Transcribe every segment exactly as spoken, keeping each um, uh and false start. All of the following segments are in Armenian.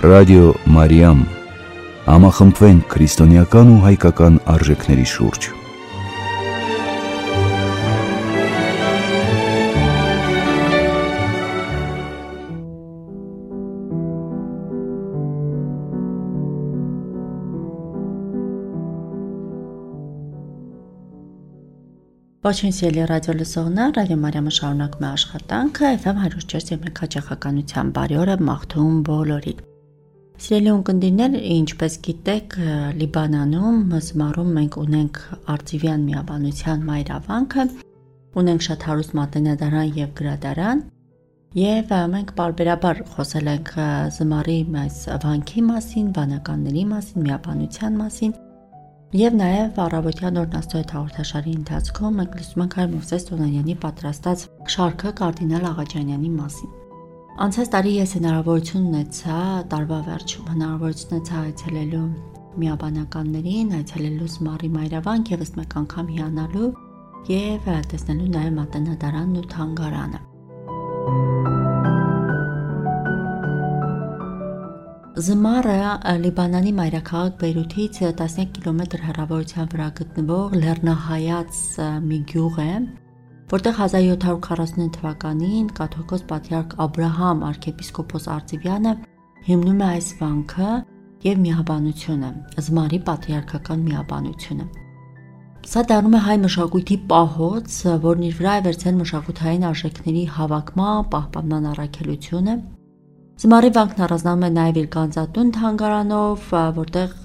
Ռադիո Մարիամ, համախմբվենք քրիստոնեական ու հայկական արժեքների շուրջ։ Ողջույն սիրելի ռադիո լսողներ, Ռադիո Մարիամը շարունակում է աշխատանքը Էֆ Էմ հարյուր չորս եւ մեկ հաճախականության բարի օրը մաղթում բոլորին։ Սիրելի ունկնդիրներ, ինչպես գիտեք, Լիբանանում զմարում մենք ունենք արծիվյան միաբանության մայրավանքը, ունենք շատ հարուստ մատենադարան եւ գրադարան, եւ մենք պարբերաբար խոսել ենք զմարի այս վանքի մասին, վանականների մասին, միաբանության մասին։ Եվ նաև առավոտյան օրն Աստծո հետ հաղորդաշարի ընթացքում մենք լսում ենք հայր Մովսես Տոնանյանի պատրաստած շարքը կարդինալ Աղաջանյանի մասին։ Անցած տարի ես հնարավորություն ունեցա տարվա վերջում հնարավորություն ունեցա այցելելու միաբանականներին, այցելելու զմարի մայրավանք եւ ըստ մեկ անգամ հիանալու եւ տեսնելու նաև մատենադարանն ու թանգարանը։ Զմարը Լիբանանի մայրաքաղաք Բեյրութից տասնյակ կիլոմետր հեռավորության վրա գտնվող լեռնահայաց մի գյուղ է, որտեղ հազար յոթ հարյուր քառասունինը թվականին կաթողիկոս պատրիարք Աբրահամ arczepiskopos Արծիվյանը հիմնում է այս վանքը եւ միաբանությունը, զմարի պատրիարքական միաբանությունը։ Սա դառնում է հայ մշակույթի պահոց, որն իր վրա է վերցրել մշակութային արժեքների հավաքման, պահպանման առաքելությունը։ Զմարի վանքն առանձնանում է նաև իր գանձատուն թանգարանով, որտեղ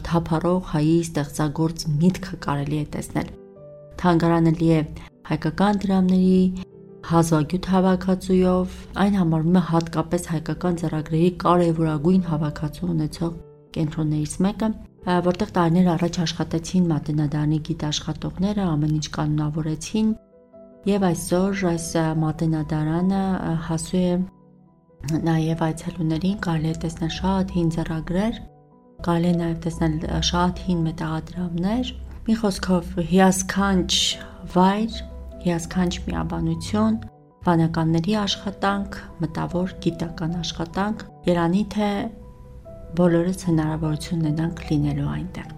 թափառող հայի ստեղծագործ միտքը կարելի է տեսնել։ Թանգարանը լի է հայկական դրամների, հազվագյուտ հավաքածուով, այն համարվում է հատկապես հայկական ձեռագրերի կարևորագույն հավաքածու ունեցող կենտրոններից մեկը, որտեղ տարիներ առաջ աշխատեցին մատենադարանի գիտաշխատողները, ամեն ինչ կանոնավորեցին, եւ այսօր այս մատենադարանը հասու է նաև այցելուներին կարելի է տեսնել շատ հին ձեռագրեր, կարելի է նաև տեսնել շատ հին մետաղադրամներ, մի խոսքով հիասքանչ վայր, հիասքանչ միաբանություն, վանականների աշխատանք, մտավոր գիտական աշխատանք, երանի թե բոլորս հնարավորություն ունենանք լինելու այնտեղ։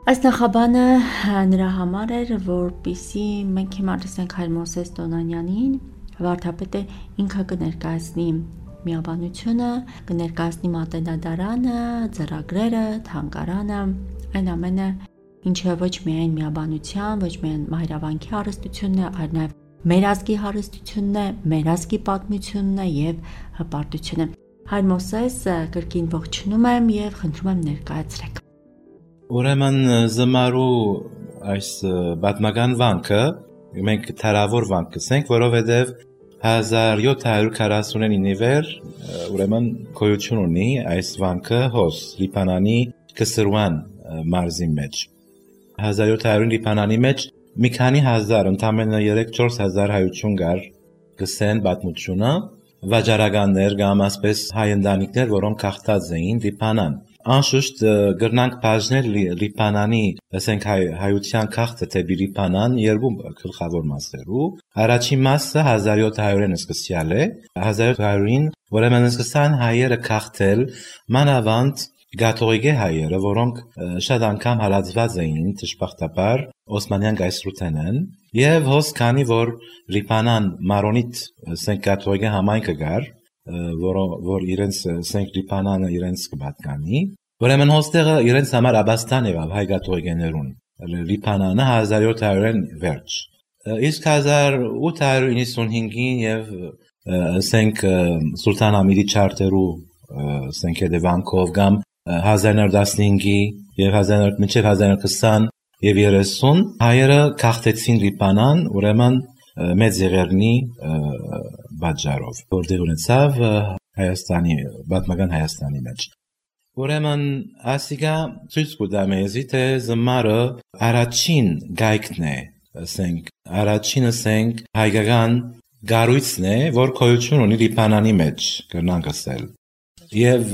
Այս նախաբանը նրա համար էր, որպեսզի մենք հիմա լսենք հայր Մովսես Տոնանյանին, վարդապետը ինքը կներկայացնի միաբանությունը, կներկայացնի մատենադարանը, ձեռագրերը, թանգարանը, այն ամենը, ինչը ոչ միայն միաբանության, ոչ միայն մայրավանքի հարստությունն է, այլ նաև մեր ազգի հարստությունն է, մեր ազգի պատմությունն է եւ հպարտությունը։ Հայր Մովսես, կրկին ողջունում եմ եւ խնդրում եմ ներկայացրեք։ Ուրեմն զմարու այս պատմական վանքը մենք թարավոր վանք կսենք, որովհետև հազար յոթ հարյուր քառասունինի վեր ուրեմն գոյություն ունի այս վանքը հոս Լիբանանի Կսրուան մարզի մեջ։ հազար յոթ հարյուր Լիբանանի մեջ մի քանի հազար, ընդամենը երեք չորս հազար հայություն կար գսեն պատմությունը, վաճառականներ կամ ասպես հայ ընտանիքներ, որոնք հաղթած էին Լիբանան։ Անշուշտ գրնանք բաժնել Լիբանանի, ասենք հայության քաղաքը դեպի Լիբանան երկու գլխավոր մասերու։ Առաջին մասը հազար յոթ հարյուրին սկսյալ է, հազար յոթ հարյուրին, ուրեմն սկսան հայերը քաղաքել մանավանդ կաթողիկե հայերը, որոնք շատ անգամ հալածված էին դժբախտաբար Օսմանյան գայսրութենեն, եւ հոս քանի որ Լիբանան մարոնիտ ասենք կաթողիկե համայնքը կար, որ որ իրենց ասենք Լիբանանը իրենց կպատկանի, ուրեմն հոստեղը իրենց համար աբաստան եղավ հայ կաթողիկեներուն Լիբանանը հազար յոթ հարյուրին վերջ։ Իսկ հազար ութ հարյուր իննսունհինգին եւ ասենք Սուլտան Համիդի չարտերու ասենք հետևանքով կամ հազար նոր տասնհինգի եւ հազար մինչեւ հազար քսան եւ երեսուն հայերը քաղաքեցին Լիբանան, ուրեմն մեծ եղերնի բաժարով, որտեղ ունեցավ Հայաստանի, պատմական Հայաստանի մեջ։ Ուրեմն ասիկա ցույց կտա մեզի, թե զմարը առաջին գայքն է, ասենք, առաջին ասենք հայկական գառույցն է, որ գոյություն ունի Լիբանանի մեջ, կրնանք ասել։ Եվ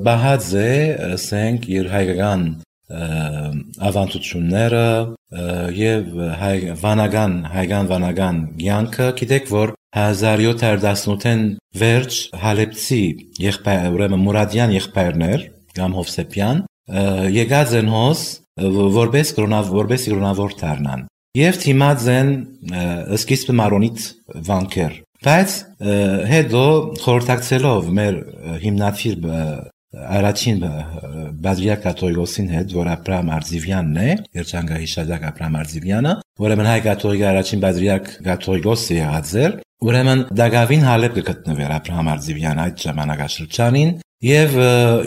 բահած է, ասենք, իր հայկական ավանդությունները եւ հայ վանական հայկան վանական կյանքը գիտեք որ հազար յոթ հարյուր տասնութին վերջ Հալեբցի եղբայր ուրեմն Մուրադյան եղբայրներ կամ Հովսեփյան եկած են հոս որպես որպես գրոնավոր դառնան եւ թիմած են սկիզբը մարոնիտ վանքեր բայց հետո խորհրդակցելով մեր հիմնադիր առաջին բադրիակ կաթողիկոսին հետ, որ Աբրահամ Արձիվյանն է, երջանկահի Շադակ Աբրահամ Արձիվյանը, ուրեմն հայ կաթողիկի առաջին բադրիակ կաթողիկոսը եղած էր, ուրեմն Դագավին Հալեբ կգտնվեր Աբրահամ Արձիվյանը այդ ժամանակաշրջանին, եւ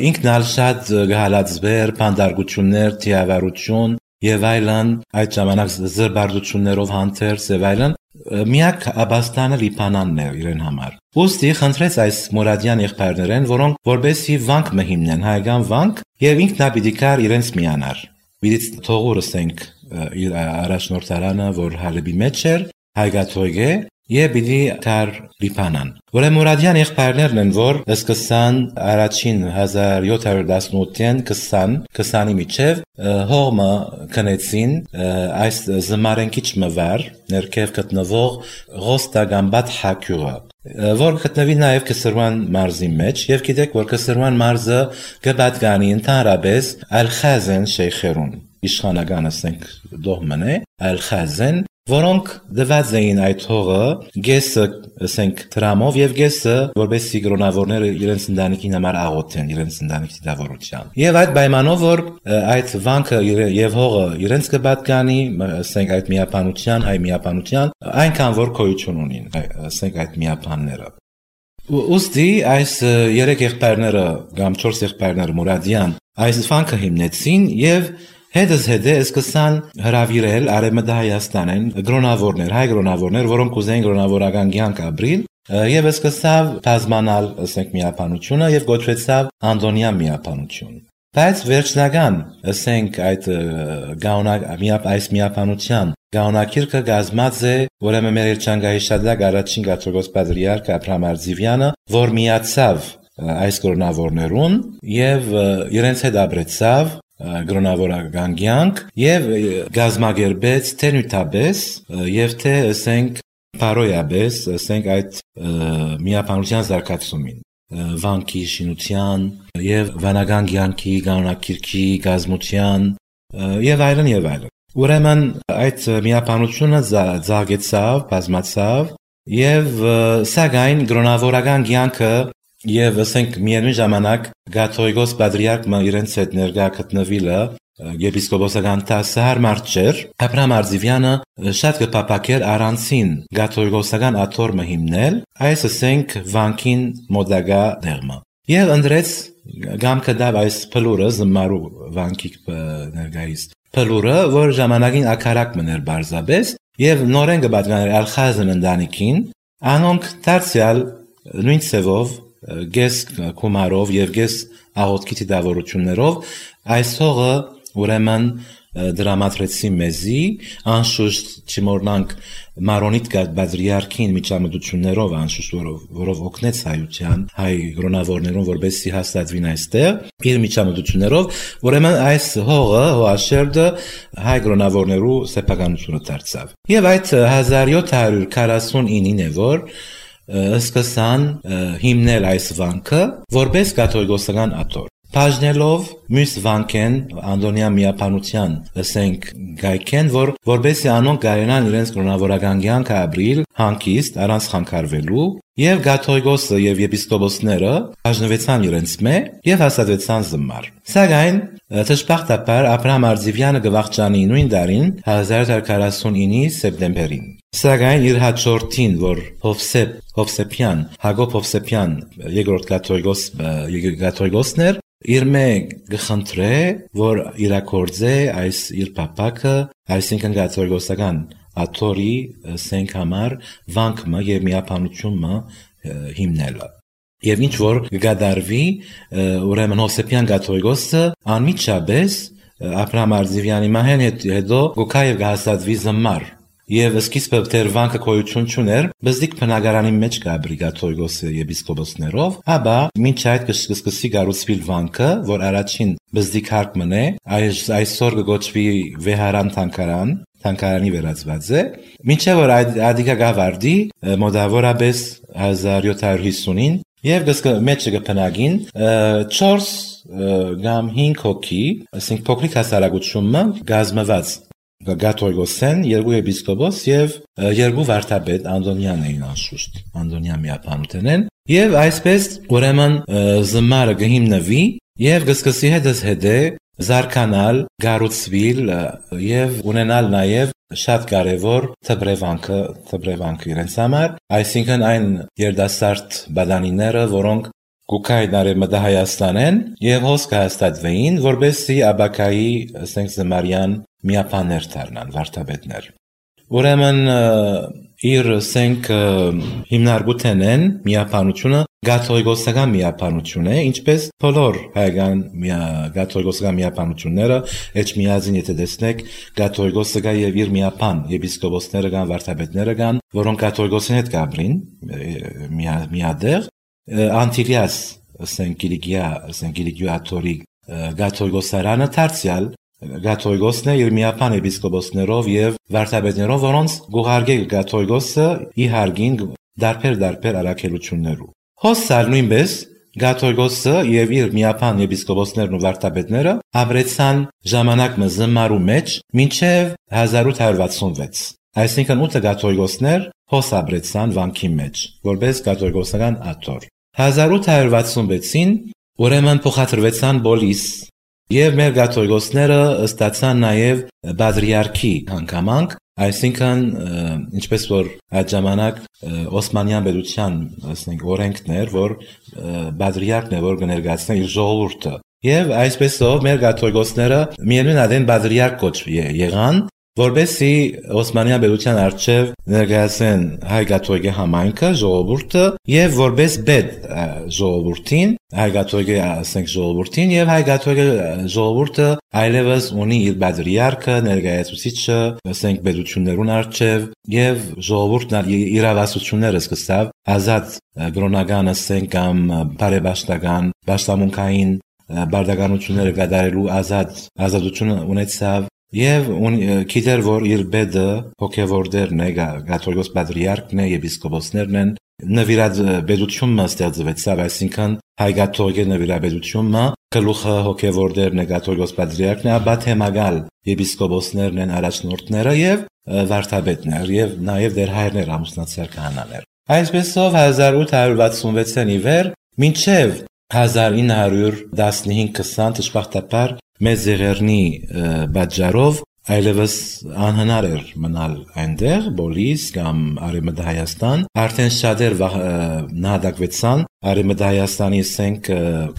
ինքն ալ շատ գահալացվեր, փանդարգություններ, թիավարություն եւ այլն, այդ ժամանակ զրբարդություններով հանդերձ եւ այլն միակ Աբաստանը Լիբանանն է իրեն համար։ Ոստի խնդրեց այս Մուրադյան եղբայրներեն, որոնք որբեսի վանք մը հիմնեն, հայկական վանք, եւ ինքն նա պիտի կար իրենց միանար։ Պիտի թողուրս ենք իր առաջնորդարանը, որ Հալեբի մեջ էր, հայկաթողիկե, եւ պիտի կար Լիբանան։ Ուրեմն Մուրադյան եղբայրներն են, որ սկսան առաջին հազար յոթ հարյուր տասնութին քսան քսանի միջև հողմը քնեցին այս զմարենքիչ մվար ներքև գտնվող Ղոստագամբատ հակյուղը, որ գտնվի նաև Քսրուան մարզի մեջ, եւ գիտեք, որ Քսրուան մարզը կպատկանի ընդհանրապես Ալ-Խազեն շեյխերուն, իշխանական ասենք դողմն է, Ալ-Խազեն, որոնք դված էին այդ հողը գեսը, ասենք, տրամով եւ գեսը, որբեսի գրոնավորները իրենց ընտանիքին համար աղոթեն, իրենց ընտանիքի դավառության։ Եվ այդ պայմանով, որ այդ վանքը եւ հողը իրենց կպատկանի, ասենք, այդ միապանության, հայ միապանության, այնքան որ գոյություն ունին, ասենք, այդ միապանները։ Ուստի այս երեք եղբայրները կամ չորս եղբայրները Մուրադյան այս վանքը հիմնեցին եւ հետս հետը սկսան հրավիրել Արևմտա Հայաստանին գրոնավորներ, հայ գրոնավորներ, որոնք ուզեին գրոնավորական կյանք ապրել, եւ սկսավ բազմանալ, ասենք, միապանությունը եւ գոչվեցավ Անդոնյան միապանություն։ Բայց վերջնական, ասենք, այդ գաունակ այս միապանության գաղունակիրքը կազմած է, ուրեմն մեր երջանկահի Շադակ առաջին կաթողիկոս պատրիարք Աբրահամ Արձիվյանը, որ միացավ այս գրոնավորներուն եւ իրենց հետ ապրեցավ գրոնավորական կյանք եւ գազմագերբեց թե նյութաբես եւ թե ասենք բարոյաբես, ասենք այդ միապանության զարգացումին, վանքի շինության եւ վանական կյանքի գաղունակիրքի գազմության եւ այլն եւ այլն։ Ուրեմն այդ միապանությունը զարգացավ, բազմացավ եւ սակայն գրոնավորական կյանքը եւ ասենք միևնույն ժամանակ կաթողիկոս պատրիարքը իրենց հետ ներկա գտնվելը եպիսկոպոսական տասը հարմար չէր։ Աբրահամ Արձիվյանը շատ կփապակեր առանցին կաթողիկոսական աթոռը հիմնել, այս ասենք վանքին մոդագա դերմը։ Եվ ընդրեց գամքը դավ այս փլուրը զմարու վանքի ներկայիս փլուրը, որ ժամանակին ակարակ մներ բարձաբես եւ նորեն կպատկաներ Ալ-Խազեն ընտանիքին, անոնք դարձյալ նույն ծևով գես կումարով եւ գես աղոթքի դավորություններով այս հողը ուրեմն դրամատրեցի մեզի, անշուշտ չմոռնանք մարոնիտ պատրիարքին միջամտություններով, անշուշտ որով օգնեց հայության, հայ գրոնավորներուն, որբեսի հաստատվին այստեղ, իր միջամտություններով, ուրեմն այս հողը, հողաշերտը հայ գրոնավորներու սեփականությունը դարձավ։ Եվ այդ հազար յոթ հարյուր քառասունինին է, որ սկսան հիմնել այս վանքը որպես կաթողիկոսական աթոռ։ Բաժնելով մյուս վանքեն Անդոնյան միապանության, ասենք, գայքեն, որ որբեսի անոնք կարենան իրենց գրոնավորական կյանքը ապրիլ հանգիստ առանց խանգարվելու, եւ կաթողիկոսը եւ եպիսկոպոսները բաժնվեցան իրենց մե եւ հաստատվեցան զմար։ Սակայն դժբախտաբար Աբրահամ Արձիվյանը գվախճանի նույն տարին հազար ութ հարյուր քառասունինի սեպտեմբերին։ Սակայն իր հաջորդին, որ Հովսեփ Հովսեփյան, Հակոբ Հովսեփյան երկրորդ կաթողիկոս կաթողիկոսն էր, իր մե գխնդրե, որ իրակորձե այս իր պապակը, այսինքն կաթողիկոսական աթոռի սենք համար վանքը եւ միապանությունը հիմնելը։ Եվ ինչ որ կգադարվի, ուրեմն Հովսեփյան կաթողիկոսը անմիջապես Աբրահամ Արձիվյանի մահեն հետո գոքա եւ գահաստատվի զմար եւ սկիզբը դեր վանքը գոյություն չուներ, բզդիկ բնակարանի մեջ գաբրի կաթողիկոսի եպիսկոպոսներով, ապա մինչ այդ կսկսի գառուցվել վանքը, որ առաջին բզդիկ հարկ մնե, այս այսօր կոչվի Վեհարան թանգարան, թանգարանի վերածված է, մինչև որ այդ ադիկա գավարդի մոտավորապես հազար յոթ հարյուր հիսունին եւ գսկը մեջը կփնագին չորս կամ հինգ հոգի, ասենք փոքրիկ հասարակությունը գազմված Կաթողիկոսեն, երկու եպիսկոպոս եւ երկու վարդապետ Անդոնյան էին անշուշտ, Անդոնյան միապանութեն են, եւ այսպես ուրեմն զմարը կհիմնվի եւ կսկսի հետս հետե զարգանալ, գառուցվել եւ ունենալ նաեւ շատ կարեւոր թբրևանքը, թբրևանքը իրենց համար, այսինքն այն երդասարդ բադանիները, որոնք Գուկայ Նարեմդա Հայաստանեն եւ հոսք հաստատվեին, որբեսի Աբակայի, ասենք զմարյան միապաներ դառնան, վարդապետներ։ Ուրեմն իր ասենք հիմնարկութեն են միապանությունը կաթողիկոսական միապանություն է, ինչպես բոլոր հայկական կաթողիկոսական միապանությունները, էջ միածին եթե տեսնեք, կաթողիկոսը կա եւ իր միապան եպիսկոպոսները կան, վարդապետները կան, որոնք կաթողիկոսին հետ կաբրին միադեղ Անտիլիաս, ասենք Կիլիկիա, ասենք Կիլիկիաթորի կաթողիկոսարանը դարձյալ Կաթողիկոսն է իր միապան եպիսկոպոսներով եւ վարդապետներով, որոնց գուղարկել կաթողիկոսը ի հարգին դարբեր-դարբեր առաքելություններով։ Հոսալ նույնպես կաթողիկոսը եւ իր միապան եպիսկոպոսներն ու վարդապետները ապրեցան ժամանակ մզմարու մեջ մինչեւ հազար ութ հարյուր վաթսունվեց։ Այսինքն ութ կաթողիկոսներ հոս ապրեցան վանքի մեջ, որպես կաթողիկոսական աթոռ։ հազար ութ հարյուր վաթսունվեցին ուրեմն փոխադրվեցան բոլիս եւ մեր կաթողիկոսները ստացան նաեւ բադրիարքի հանգամանք, այսինքն ինչպես որ այդ ժամանակ Օսմանյան պետության, ասենք, օրենքներ, որ բադրիարքն է որ կներկայացնի իր ժողովուրդը։ Եվ այսպեսով մեր կաթողիկոսները միևնույն adեն բադրիարք կոչվի եղան, որբեսի Օսմանյան պետության արչև ներկայացնեն հայ կաթողիկե համայնքը, ժողովուրդը եւ որպես բեդ ժողովուրդին, հայ կաթողիկե ասենք ժողովուրդին եւ հայ կաթողիկե ժողովուրդը այլևս ունի իր բադրիարքը, ներկայացուցիչը, ասենք պետություններուն արչև եւ ժողովուրդն իրավասությունները սկսավ ազատ կրոնական ասենք կամ բարեբաշխական, բաշխամունքային բարդականությունները կատարելու ազատ ազատությունը ունեցավ Եվ գիտեր, որ իր բեդը հոգևորդերն է, կաթողիկոս պատրիարքն է, եպիսկոպոսներն են, նվիրած բեդությունը ստեղծվեցավ, այսինքն հայ կաթողիկե նվիրաբեդությունը, գլուխը հոգևորդերն է, կաթողիկոս պատրիարքն է, ապա թեմագալ եպիսկոպոսներն են, առաջնորդները եւ վարդապետներ եւ նաեւ դեր հայրներ, ամուսնացյալ քահանաներ։ Այսպեսով հազար ութ հարյուր վաթսունվեցին ի վեր, մինչեւ հազար ինը հարյուր տասնհինգ քսան դժբախտաբար մեծ եղերնի բաժարով այլևս անհնար էր մնալ այնտեղ, Բոլիս կամ Արևմտյան Հայաստան, արդեն շատեր նահատակվեցան, Արևմտյան Հայաստանի ասենք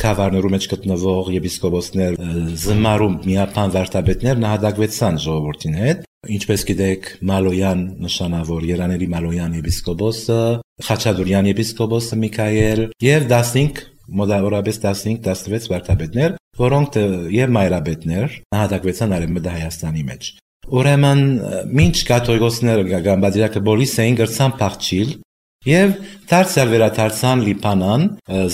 քավառներու մեջ գտնվող եպիսկոպոսներ, զմարու միապան վարդապետներ նահատակվեցան ժողովրդին հետ, ինչպես գիտեք Մալոյան նշանավոր Երանելի Մալոյան եպիսկոպոսը, Խաչատուրյան եպիսկոպոսը Միքայել եւ տասնհինգ մոտավորապես տասնհինգ տասնվեց վարդապետներ, որոնք եւ մայրապետներ նահատակվեցան Արևմտյան Հայաստանի մեջ։ Ուրեմն մինչ կաթողիկոսները գամբադիրակը բոլիս էին գրցան փախչիլ եւ դարձյալ վերադարձան Լիբանան,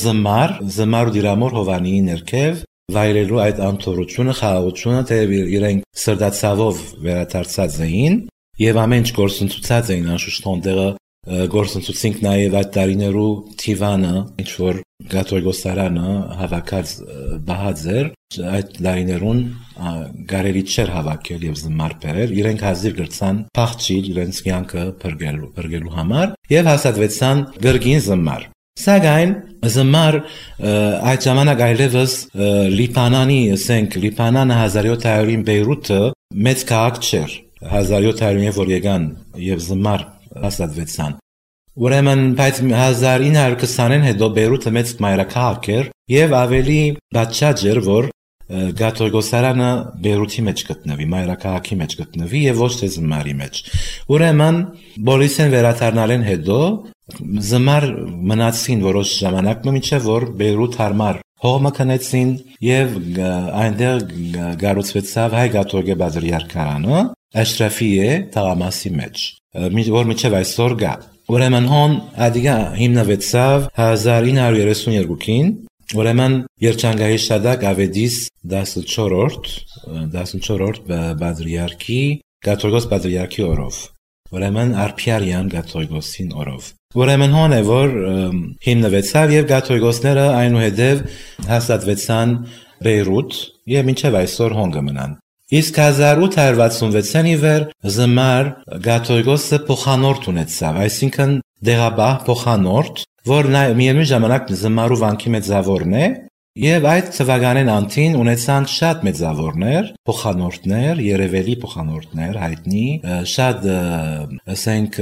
զմար, զմարու դիրամոր Հովանիի ներքև վայրելու այդ անթորությունը, խաղաղությունը, թե իրենք սրտացավով վերադարձած էին եւ ամեն ինչ գործընթացած էին անշուշտ հոնդերը գործընթացինք նաև այդ տարիներու թիվանը, ինչ որ կաթողիկոսարանը հավաքած բահած էր, այդ տարիներուն գարելի չէր հավաքել եւ զմար բերել, իրենք հազիվ գրցան փախչիլ իրենց կյանքը բրգելու, բրգելու համար եւ հաստատվեցան գրգին զմար։ Սակայն զմար այդ ժամանակ այլևս Լիբանանի, ասենք Լիբանանը հազար յոթ հարյուրին Բեյրութը մեծ քաղաք չէր, հազար յոթ հարյուրին որ եկան եւ զմար հաստատվեցան։ Ուրեմն բայց հազար ինը հարյուր քսանին հետո Բեյրութը մեծ մայրաքաղաք էր եւ ավելի բացաճ էր, որ կաթողիկոսարանը Բեյրութի մեջ գտնվի, մայրաքաղաքի մեջ գտնվի եւ ոչ թե զմարի մեջ։ Ուրեմն բոլիսեն վերադառնալեն հետո զմար մնացին որոշ ժամանակ, մինչեւ որ Բեյրութ հարմար հողմը քնեցին եւ այնտեղ գառուցվեցավ հայ կաթողիկե բադրիարքարանը Աշրաֆի է թաղամասի մեջ, որ միջև այսօր գա։ Ուրեմն հոն ադիգա հիմնվեցավ հազար ինը հարյուր երեսուն երկուին, ուրեմն երջանկայի շադակ ավետիս տասնչորրորդ տասնչորրորդ բադրիարքի կաթողիկոս բադրիարքի օրով, ուրեմն Արփիարյան կաթողիկոսին օրով։ Ուրեմն հոն է որ հիմնվեցավ եւ կաթողիկոսները այնուհետեւ հաստատվեցան Բեյրութ եւ մինչեւ այսօր հոն կմնան։ Իսկ հազար ութ հարյուր վաթսունվեցին ի վեր զմար կաթողիկոսը փոխանորդ ունեցավ, այսինքն դեղաբահ փոխանորդ, որ միևնույն ժամանակ զմարու վանքի մեծավորն է, եւ այդ թվականին անտին ունեցան շատ մեծավորներ, փոխանորդներ, երևելի փոխանորդներ, հայտնի, շատ ասենք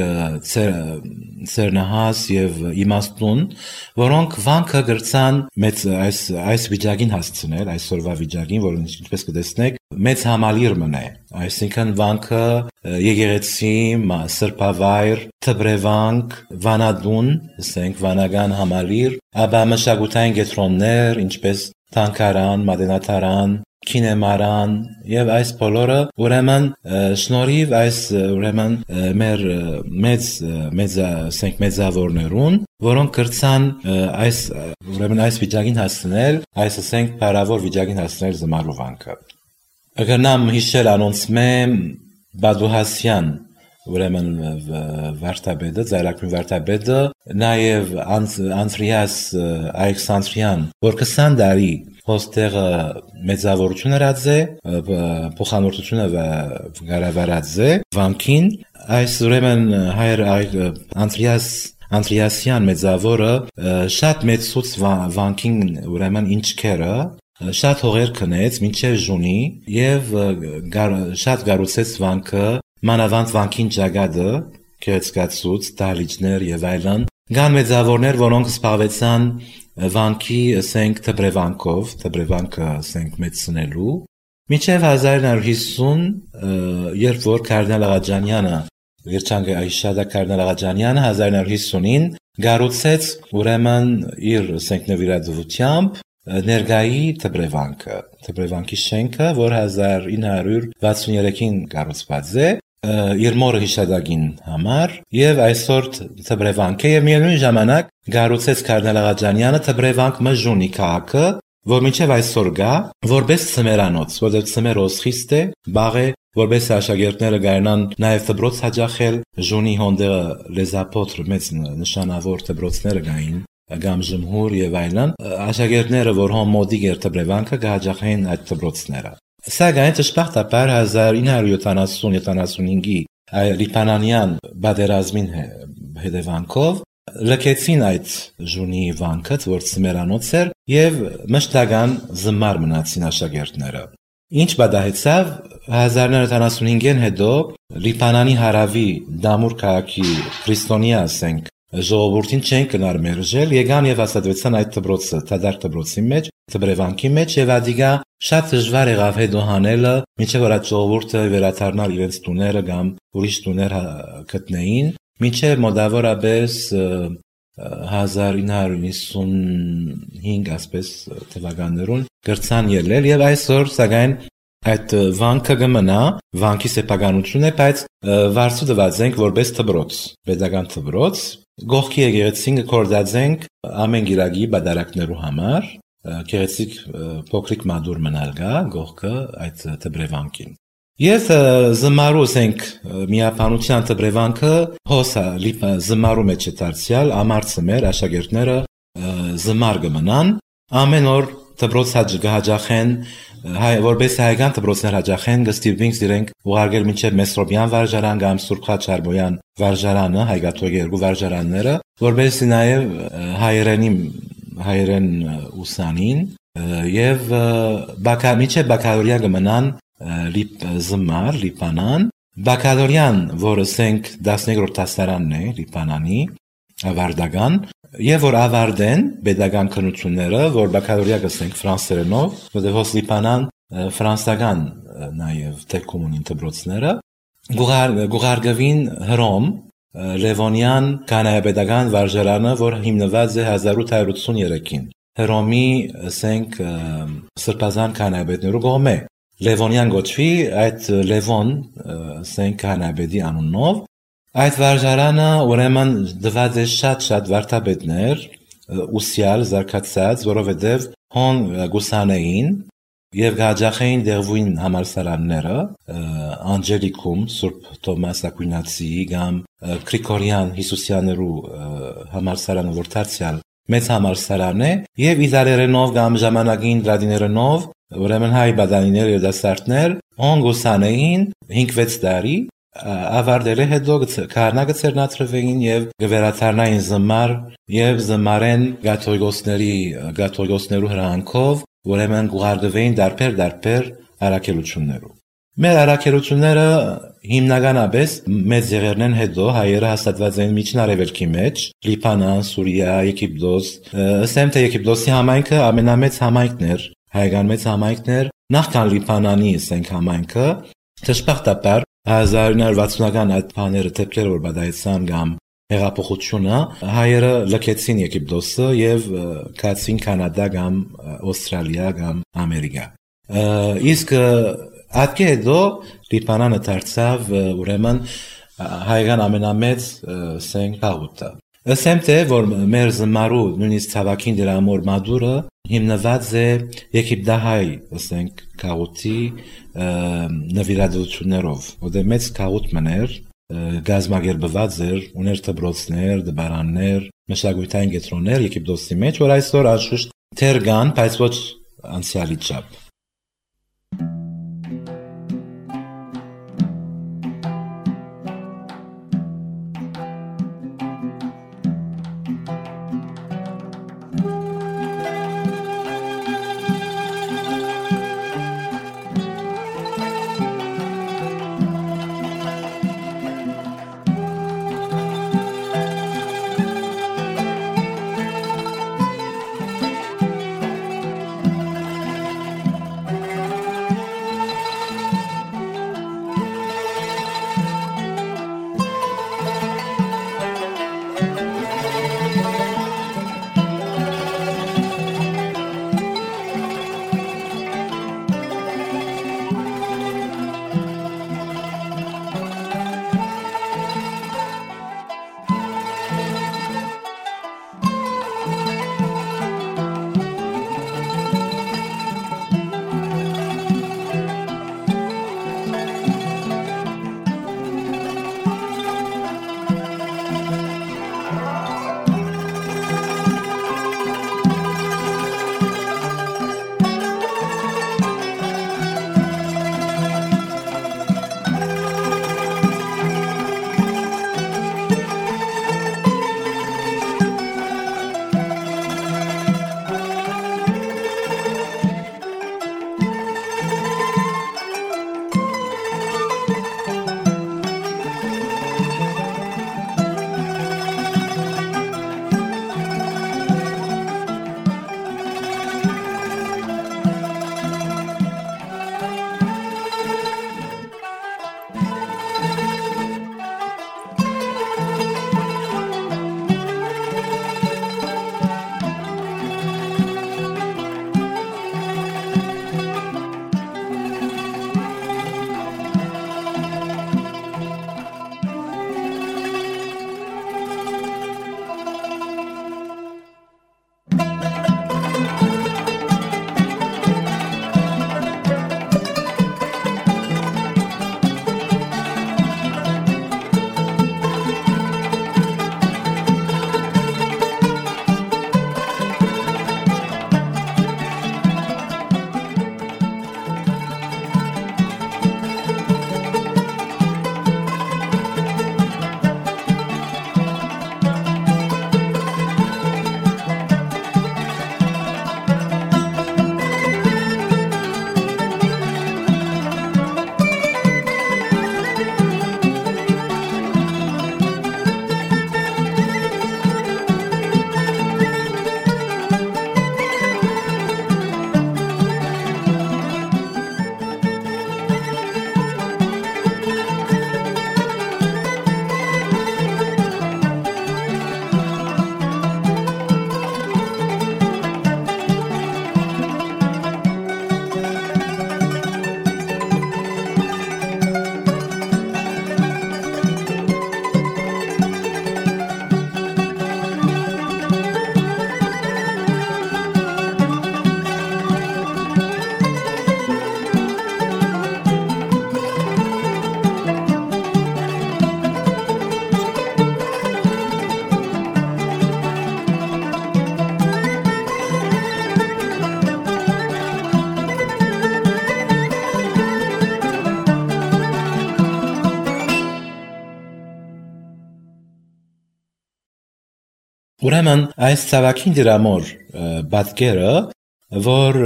ծերնահաս եւ իմաստուն, որոնք վանքը գրցան մեծ այս այս վիճակին հասցնել, այսօրվա վիճակին, որ ինչպես կտեսնեք, մեծ համալիր մնե, այսինքն վանքը եկեղեցի, սրբավայր, թբրևանք, վանադուն, ասենք վանական համալիր, ապա մշակութային կենտրոններ, ինչպես թանգարան, մատենադարան, կինեմարան եւ այս բոլորը ուրեմն շնորհիվ այս ուրեմն մեր մեծ մեծ ասենք մեծավորներուն, որոնք կրցան այս ուրեմն այս վիճակին հասցնել, այս ասենք բարավոր վիճակին հասցնել զմարու վանքը։ Ակնամ հիշել անոնցմե Բադուհասյան ուրեմն վարդապետը, ծայրակրում վարդապետը, նաև Անտրիաս Ալեքսանդրյան, որ քսան տարի հոստեղը մեծավորություն հրած է, փոխանորդությունը գարավարած է վանքին, այս ուրեմն հայր Անտրիաս Անտրիասյան մեծավորը շատ մեծուց վանքին ուրեմն ինչքերը շատ հողեր քնեց մինչև ժունի եւ շատ գառուցեց վանքը մանավանդ վանքին ճակատը քերծկացուց դահլիճներ եւ այլն կան մեծավորներ որոնք զբաղվեցան վանքի ասենք թբրևանքով թբրևանքը ասենք մեծնելու մինչև հազար ինը հարյուր հիսուն երբ որ Կարդինալ Աղաջանյանը Երջանկայի Այշադա Կարդինալ Աղաջանյանը հազար ինը հարյուր հիսունին գառուցեց ուրեմն իր ասենք նվիրատվությամբ ներգայի թբրևանքը, թբրևանքի շենքը, որ հազար ինը հարյուր վաթսուններեքին կառուցված է, իր մորը հիշադակին համար, եւ այսօր թբրևանք է եւ միևնույն ժամանակ գառուցեց Կարդինալ Աղաջանյանը թբրևանք մժունի քաղաքը, որ մինչեւ այսօր գա, որպես ծմերանոց, որտեղ ծմերոս խիստ է, բաղ է, որպես աշակերտները գարնան նաեւ դբրոց հաջախել, ժունի հոնդերը լեզապոտրը մեծ նշանավոր դբրոցները գային գամ ժմհուր եւ այլն աշակերտները որ հոն մոդիկ էր թբրևանքը գահաջախեն այդ դբրոցները սակայն ճշմարտաբար հազար ինը հարյուր յոթանասուն յոթանասունհինգի լիբանանյան բادرազմին հետևանքով լքեցին այդ ժունի վանքը որ ծմերանոց էր եւ մշտական զմար մնացին աշակերտները ինչ բադահեցավ հազար ինը հարյուր յոթանասունհինգին հետո լիբանանի հարավի դամուր քաղաքի քրիստոնյա ասենք ժողովուրդին չեն կնար մերժել, եկան եւ հաստատվեցան այդ դբրոցը, դադար դբրոցի մեջ, դբրևանքի մեջ եւ ադիգա շատ դժվար եղավ հետո հանելը, մինչեւ որ այդ ժողովուրդը վերադառնալ իրենց տուները կամ ուրիշ տուներ գտնեին, մինչեւ մոտավորապես հազար ինը հարյուր հիսունհինգ ասպես թվականներուն գրցան ելել եւ այսօր սակայն այդ վանքը կմնա, վանքի սեփականություն է, բայց վարձու տված ենք որպես դբրոց, pedagogan դբրոց, գողքի եկեղեցին կորդած ամեն գիրագի բادرակներու համար, գեղեցիկ փոքրիկ մադուր մնալ գա գողքը այդ դբրևանքին։ Ես զմարու ասենք միապանության դբրևանքը հոսա զմարու մեջ է դարձյալ ամարցը մեր աշակերտները զմար կմնան, ամեն օր դբրոց հաջախեն հայ որպես հայկական դբրոցներ հաջախեն գստիվինք իրենք ուղարկել մինչև Մեսրոպյան վարժարան կամ Սուրբ Խաչարբոյան վարժարանը հայկաթողի երկու վարժարանները որպես նաև հայերենի հայերեն ուսանին եւ բակամիջը բակալորիա կմնան լիպ զմար լիպանան բակալորիան որը ասենք տասներորդ դասարանն է լիպանանի ավարտական եւ որ ավարտեն pedagogan քննությունները որ բակալորիա կսենք ֆրանսերենով որտեղ հոս լիպանան ֆրանսական նաեւ տեխնիկումին դբրոցները գուղարգավին հռոմ Լևոնյան կանայապետական վարժարանը որ հիմնված է հազար ութ հարյուր ութսուններեքին հռոմի ասենք սրբազան կանայապետներու կողմէ Լևոնյան գոչվի, այդ Լևոն, ասենք Հանաբեդի անունով, այդ վարժարանը ուրեմն դված է շատ-շատ վարդապետներ, ուսյալ, զարգացած, որովհետև հոն գուսանեին եւ գաջախային դեղվույն համալսարանները, Անջելիկում, Սուրբ Թոմաս Ակվինացիի կամ Գրիգորյան Հիսուսյաներու համալսարանը, որ դարձյալ մեծ համալսարան է, եւ իդարերենով կամ ժամանակին դրադիներենով, ուրեմն հայ բադանիներ եւ դասարտներ, հոն գուսանեին հինգ-վեց տարի, ավարտել է հետո քահանա գցերնացրվեին եւ գվերաթարնային զմար եւ զմարեն գաթողիկոսների գաթողիկոսներու հրանքով ուրեմն գուղարկվեին դարբեր դարբեր արաքելություններով։ Մեր արաքելությունները հիմնականապես մեծ եղերնեն հետո հայերը հաստատված են միջնարևելքի մեջ, Լիբանան, Սուրիա, Եգիպտոս, ասեմ թե Եգիպտոսի համայնքը ամենամեծ համայնքն էր, հայկական մեծ համայնքն էր, նախքան Լիբանանի ասենք համայնքը, դժբախտաբար հազար ինը հարյուր վաթսունական այդ բաները դեպքերը որ բադայեցան կամ հեղափոխությունը հայերը լքեցին Եգիպտոսը եւ գացին Կանադա կամ Ավստրալիա կամ Ամերիկա։ Իսկ Ատկե հետո Լիբանանը դարձավ ուրեմն հայկական ամենամեծ ասենք գաղութը։ Ասեմ թե որ մեր զմարու նույնիսկ ցավակին դրա մոր մադուրը հիմնված է եգիպտահայ ասենք գաղութի նվիրատվություններով, որտեղ մեծ գաղութ մներ գազմագերբված էր, ուներ դբրոցներ, դբարաններ, մշակութային կենտրոններ Եգիպտոսի մեջ, որ այսօր անշուշտ թեր կան, բայց ոչ անցյալի չափ։ Ուրեմն այս ցավակին դրամոր բատկերը, որ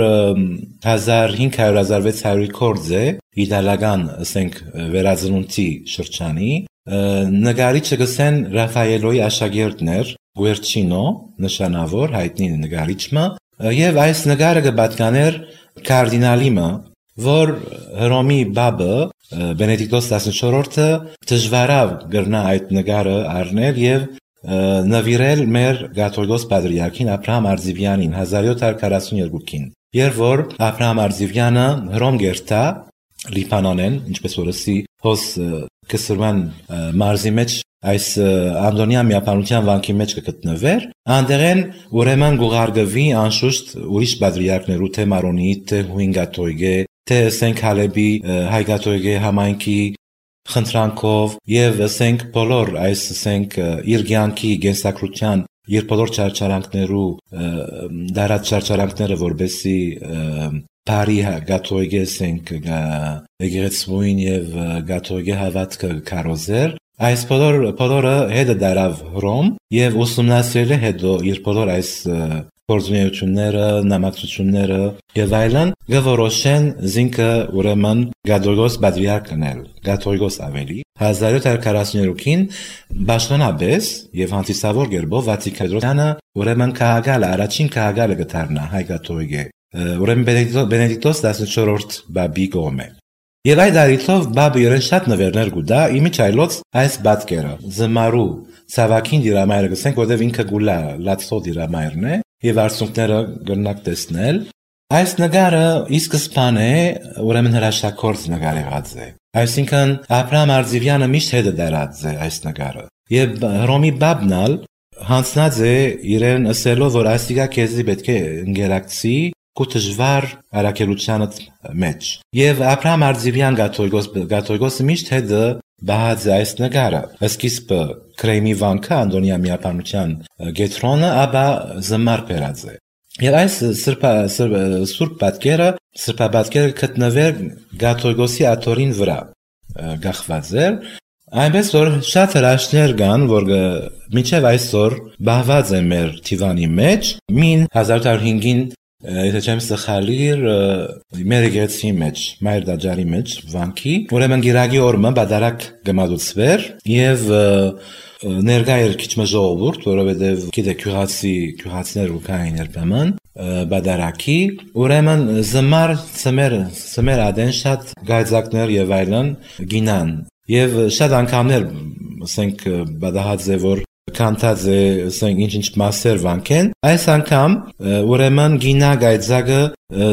հազար հինգ հարյուր - հազար վեց հարյուր կորձ է իտալական, ասենք, վերածնունդի շրջանի, նկարիչը գսեն Ռաֆայելոյի աշակերտներ, Գուերչինո, նշանավոր հայտնի նկարիչը, եւ այս նկարը կպատկաներ կարդինալիմը, որ Հռոմի բաբը Բենեդիկտոս տասնչորրորդը դժվարավ գրնա այդ նկարը առնել եւ նվիրել մեր կաթողիկոս պատրիարքին Աբրահամ Արձիվյանին հազար յոթ հարյուր քառասունյոթին, երբ որ Աբրահամ Արձիվյանը Հռոմ գերտա Լիբանանեն, ինչպես որ ասի հոս կսրման մարզի մեջ այս Անդոնիա միապանության վանքի մեջ կգտնվեր, անդերեն ուրեմն գուղարգվի անշուշտ ուրիշ պատրիարքներու, թե Մարոնի, թե Հույն կաթողիկե, թե ասենք Հալեբի հայ կաթողիկե համայնքի խնդրանքով եւ ասենք բոլոր այս ասենք իր կյանքի գենսակրության իր բոլոր չարչարանքներու դարած չարչարանքները որբեսի բարի կաթողիկե ասենք եկեղեցուին եւ կաթողիկե հավատքը կարոզեր այս բոլոր բոլորը հետը դարավ Հռոմ եւ ուսումնասիրել է հետո իր բոլոր այս գործունեությունները, նամակցությունները եւ այլն գորոշեն զինքը ուրեմն կաթողիկոս պատրիարքնել, կաթողիկոս ավելի հազար յոթ հարյուր քառասունյոթին Բաշխանաբես եւ հանդիսավոր գերբով Վատիկանը ուրեմն քաղաքալը առաջին քաղաքալը գտարնա հայ կաթողիկե ուրեմն Բենեդիկտոս տասնչորրորդ բաբի կողմէ եւ այդ արիթով բաբը իրեն շատ նվերներ գուտա իմիջայլոց այս բատկերը զմարու ցավակին դիրամայրը գսենք որտեւ ինքը գուլա լացո դիրամայրն է եւ արցունքները գնանք տեսնել այս նկարը իսկ սպանը ուրեմն հրաշագործ նկար եղած է այսինքն Աբրահամ Արձիվյանը միշտ հետը դարած է այս նկարը եւ Հռոմի բաբնալ հանցնած է իրեն ասելով որ այսիկա քեզի պետք է ընկերակցի կուտժվար արակելությանը մեջ եւ Աբրահամ Արձիվյան գաթողիկոս գաթողիկոսը միշտ հետը բահած է այս նկարը սկիզբը Քրեմի վանքը Անդոնիա միապանության գետրոնը ապա զմար բերած է եւ այս սրբա սուրբ պատկերը սրբա պատկերը գտնվեր գաթողիկոսի աթորին վրա գախված էր այնպես որ շատ հրաշքներ կան որ մինչեւ այսօր բահված է մեր թիվանի մեջ մին հազար ութ հարյուր հինգին եթե չեմ սխալիր մեր եկեղեցի մեջ մայր դաջարի մեջ վանքի ուրեմն գիրագի օրը բադարակ գմադուցվեր եւ ներկա էր քիչ մժողովուրդ որովհետեւ գիտե քյուղացի քյուղացիներ ու կային երբեմն բադարակի ուրեմն զմար ծմեր ծմեր ադեն շատ գայծակներ եւ այլն գինան եւ շատ անգամներ ասենք բադահած է որ կանտած է ասենք ինչ-ինչ մասեր վանքեն այս անգամ ուրեմն գինա գայծակը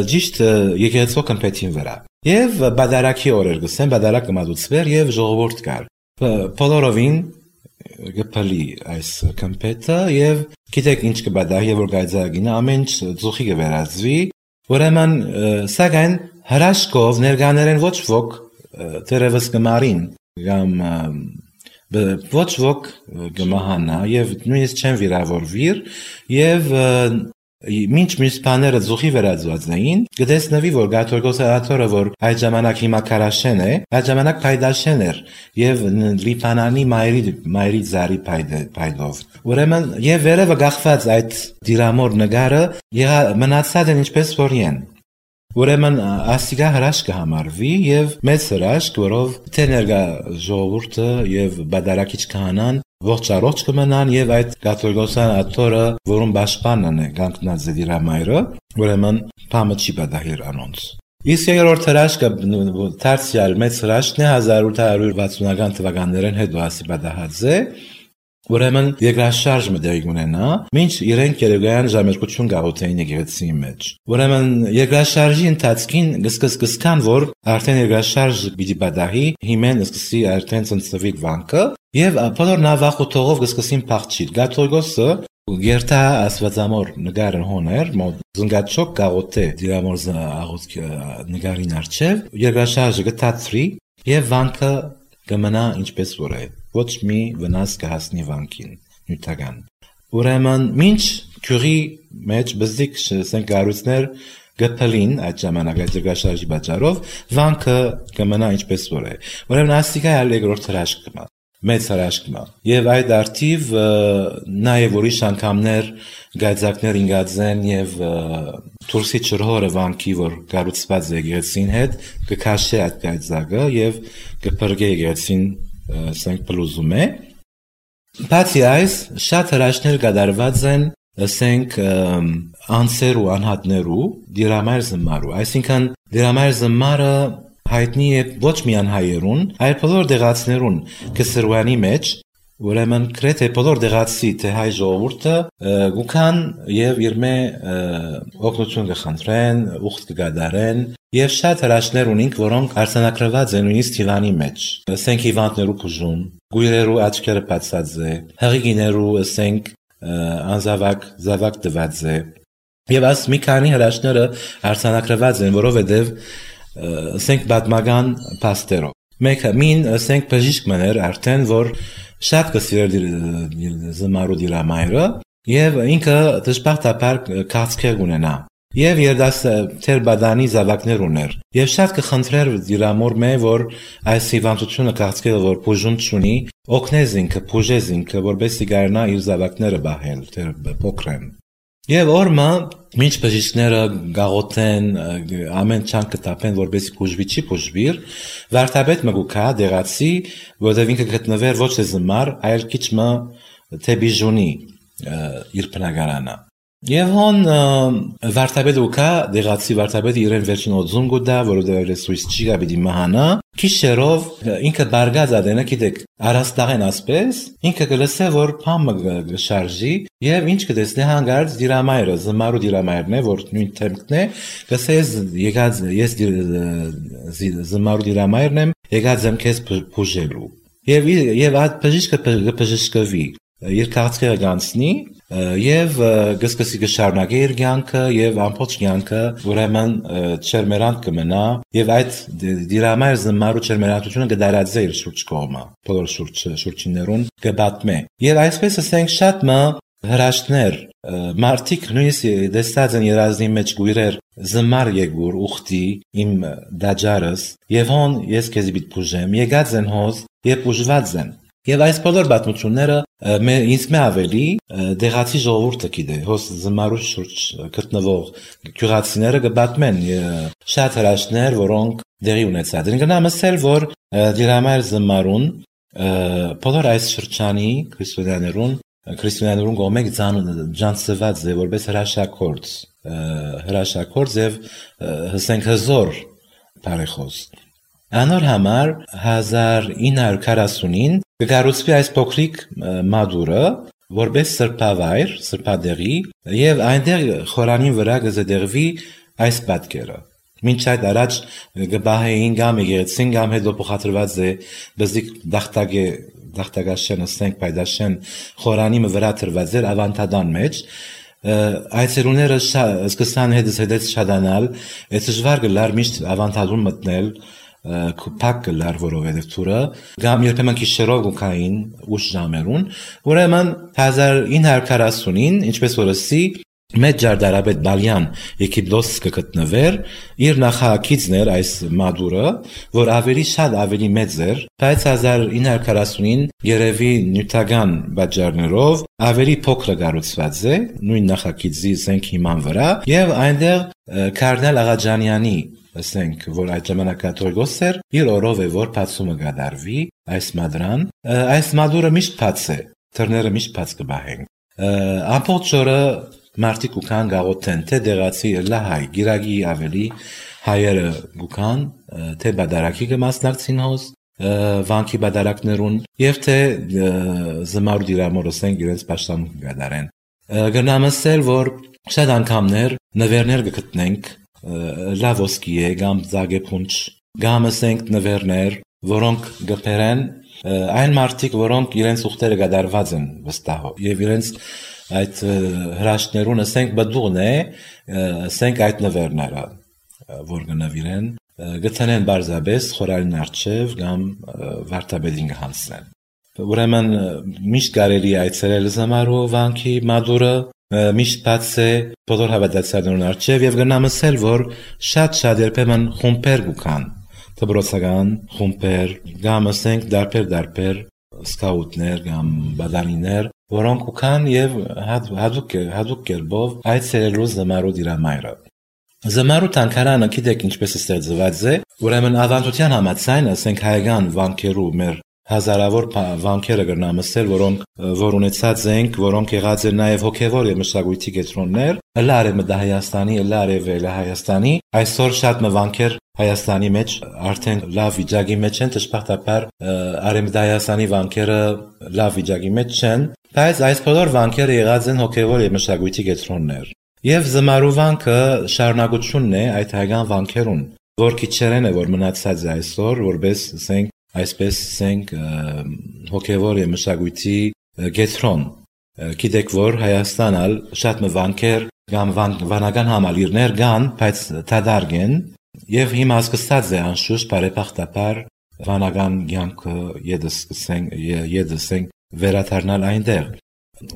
ճիշտ եկեղեցու կմպետին վրա եւ բադարակի օրեր գսեն բադարակը մատուցվեր եւ ժողովուրդ կար բոլորովին գպալի այս կմպետը եւ գիտեք ինչ կբադահի որ գայծակինը ամեն ծուխի կվերածվի ուրեմն սակայն հրաշքով ներկաներեն ոչ ոք դերևս կմարին կամ ոչ ոք գմահանա եւ նույնիսկ չեն վիրավորվիր եւ մինչ մյուս բաները զուխի վերածված էին գտեսնվի որ գաթողիկոսի աթորը որ այդ ժամանակ հիմա Քարաշեն է այդ ժամանակ Փայդաշեն էր եւ Լիբանանի մայրի մայրի զարի փայդով ուրեմն եւ վերևը գախված այդ դիրամոր նկարը մնացած են ինչպես որ են ուրեմն ասիգա հրաշք կհամարվի եւ մեծ հրաշք որով թե ներկա ժողովուրդը եւ բադարակիչ քահանան ողջ առողջ կմնան եւ այդ կաթողիկոսյան աթորը որում պաշտպանն է կանգնած է դիրամայրը ուրեմն փամը չի բադահիր անոնց իսկ երրորդ հրաշքը դարձյալ մեծ հրաշքն է հազար ութ հարյուր վաթսունական թվականներին հետո ասի բադահած է ուրեմն երկրաշարժը դեպի ունենա մինչ իրենք երեգայան ժամերկություն գաղութային եկեղեցի մեջ ուրեմն երկրաշարժի ընթացքին գսկսկսկան որ արդեն երկրաշարժը պիտի բադահի հիմեն սկսի արդեն ծնծվի վանքը եւ բոլոր նավախոթողով գսկսին փախչիլ գաթողիկոսը Գերտա ասվածամոր նգարն հոներ, զնգաչոք գաղոթե դիրամոր աղոտ նգարին արջև, երկրաշարժը գտացրի եւ վանքը կմնա ինչպես որ է, ոչ մի վնաս կհասնի վանքին, նյութական։ Ուրեմն մինչ քյուրի մեջ բզիկ սենք գարուցներ գպլին այդ ժամանակ այդ երկրաշարժի պատճառով վանքը կմնա ինչպես որ է։ Ուրեմն աստիկա այլ երկրորդ հրաշք կմա։ մեծ հրաշքն է։ Եվ այդ արդիվ նաև ուրիշ անգամներ գայծակներ ինգածեն եւ Թուրքի ճրհորը վանքի որ կառուցված է եկեղեցին հետ կքաշե այդ գայծակը եւ կփրկե եկեղեցին ասենք պլուզում է։ Բացի այս շատ հրաշքներ կատարված են ասենք անձեր ու անհատներու դիրամայր զմարու, այսինքն դիրամայր զմարը հայտնի է ոչ միայն հայերուն, այլ բոլոր դեղացիներուն կսրվանի մեջ, ուրեմն գրեթե բոլոր դեղացի թե հայ ժողովուրդը գուքան եւ իրմե օգնություն կխնդրեն, ուխտ կգադարեն եւ շատ հրաշքներ ունենք, որոնք արձանագրված են նույնիսկ Թիվանի մեջ։ Ասենք հիվանդներու բուժում, գույրերու աչքերը բացած է, հղիներու ասենք անզավակ զավակ տված է։ Եվ աս մի քանի հրաշքները արձանագրված են, որովհետեւ ասենք բադմական պաստերով։ Մեկը մին ասենք բժիշկ մներ արդեն որ շատ կսիրեր զմարու դիրամայրը եւ ինքը դժբախտաբար քաղցկեղ ունենա եւ երդասթեր բադանի զավակներ ուներ եւ շատ կխնդրեր դիրամոր մե որ այս հիվանդությունը քաղցկեղը որ բուժում չունի օգնես ինքը բուժես ինքը որբեսի գարնա իր զավակները բահել դեր փոքրեն Եվ օրմա մինչ բժիշկները գաղութեն ամեն չան կտապեն որբեսի բուժվի չի բուժվիր վարդապետ մգուքա դեղացի որտեղ ինքը գտնվեր ոչ թե զմար այլ քիչ մը թե բիժունի իր բնակարանը Եվ հոն վարդապետը ուքա դեղացի վարդապետը իրեն վերջին օձում գուտա որովհետև սույս չի գաբիդի մահանա քիշերով ինքը բարգած ադենը գիտեք առաստաղեն ասպես ինքը կլսե որ փամը գշարժի եւ ինչ կտեսնի հանգարց դիրամայրը զմարու դիրամայրն է որ նույն թեմքն է կսե եկած ես զմարու դիրամայրն եմ եկած եմ քեզ բուժելու եւ եւ այդ բժիշկը բժշկվի իր քաղցկեղը գանցնի եւ գսկսի գշարունակի իր կյանքը եւ ամբողջ կյանքը ուրեմն չերմերանտ կմնա եւ այդ դիրամայր զմարու չերմերantությունը կդարածե իր շուրջ կողմը բոլոր շուրջ շուրջիներուն կբատմե եւ այսպես ասենք շատ մը հրաշքներ մարդիկ նույնիսկ դեսած են երազնի մեջ գույրեր զմար եկուր ուխտի իմ դաջարս եւ հոն ես քեզ պիտի բուժեմ եկած են հոզ եւ բուժված են Եվ այս բոլոր պատմությունները ինձ մե ավելի դեղացի ժողովուրդը գիտե, հոս զմարու շուրջ գտնվող գյուղացիները կբատմեն շատ հրաշքներ, որոնք դեղի ունեցած են։ Գնամ ասել, որ դիրամայր զմարուն բոլոր այս շրջանի քրիստոնյաներուն քրիստոնյաներուն գոմեկ ջանցված է որպես հրաշակորձ, հրաշակորձ եւ հսենք հզոր բարեխոս։ Անոր համար հազար ինը հարյուր քառասունին կկառուցվի այս փոքրիկ մադուրը, որպես սրբավայր, սրբադեղի, եւ այնտեղ խորանին վրա կզդեղվի այս պատկերը։ Մինչ այդ առաջ կբահեին գամ եկեղեցին գամ հետո փոխադրված է բզիկ դախտագե դախտագաշեն ասենք պայդաշեն խորանի վրա դրված էր ավանտադան մեջ Այցելուները սկսան հետս հետս շադանալ, այս դժվար գլար միշտ ավանտադուն մտնել փակ կլար որովհետև թուրը գամ երբեմն քիշերով գուքային ուշ ժամերուն ուրեմն հազար ինը հարյուր քառասունին ինչպես որսի մեծ ջարդարաբեդ Բալյան Եգիպտոս կգտնվեր իր նախագիծն էր այս մադուրը որ ավելի շատ ավելի մեծ էր բայց հազար ինը հարյուր քառասունին երևի նյութական բաժարներով ավելի փոքր կառուցված է նույն նախագիծի ասենք հիման վրա եւ այնտեղ Կարդինալ Աղաջանյանի ասենք որ այդ ժամանակատորգոս էր իր օրով է որ բացումը կդարվի այս մադրան այս մադուրը միշտ բաց է թռները միշտ բաց կբահեն ամբողջ օրը մարդիկ ուքան գաղութեն թե դեղացի լահայ գիրագի ավելի հայերը գուքան թե բադարակի կմասնակցին հոս վանքի բադարակներուն եւ թե զմարու դիրամորը ասենք իրենց պաշտամունք կդարեն գնամ ասել որ շատ անգամներ նվերներ կգտնենք լավոսկի է գամ զագեփունչ գամ ասենք նվերներ որոնք գբերեն այն մարդիկ որոնք իրենց ուխտերը գդարված են վստահով եւ իրենց այդ հրաշքներուն ասենք բդուղն է ասենք այդ նվերները որ գնավիրեն գտնեն բարձաբես խորալին արչև գամ վարդապետին հանցնեն ուրեմն միշտ կարելի այցելել զմարու վանքի մադուրը միշտ բաց է բոլոր հավատացյալներուն արչև եւ գնամ ասել որ շատ շատ երբեմն խումբեր գուքան դբրոցական խումբեր գամ ասենք դարբեր դարբեր սկաուտներ կամ բադանիներ, որոնք ուքան եւ հadouk հadouk կերպով այցելելու զմարու դիրամայրը։ Զմարու տանկարանը գիտեք ինչպես է ստեղծված է, ուրեմն ավանդության համաձայն, ասենք հայկական վանքերու մեր հազարավոր վանքերը կրնամսել, որոնք որ ունեցած ենք, որոնք եղած են նաև հոգևոր եւ մշակույթի կետրոններ, լարը դա Հայաստանի, լարը վելը Հայաստանի, այսօր շատ մվանքեր Հայաստանի մեջ արդեն լավ վիճակի մեջ են, դժբախտաբար արեմդայաստանի վանքերը լավ վիճակի մեջ չեն, բայց այս բոլոր վանքերը եղած են հոգևոր եւ մշակույթի կետրոններ։ Եվ զմարու վանքը շարունակությունն է այդ հայկական վանքերուն, որ քիչերեն է որ մնացած է այսօր, որպես ասենք այսպես ասենք հոգևոր եւ մշակույթի կետրոն։ Գիտեք որ Հայաստանալ շատ մվանքեր կամ վանական համալիրներ կան, բայց դադարք են եւ հիմա սկսած է անշուշտ բարեբախտաբար վանական կյանքը եդսենք եդսենք վերադառնալ այնտեղ։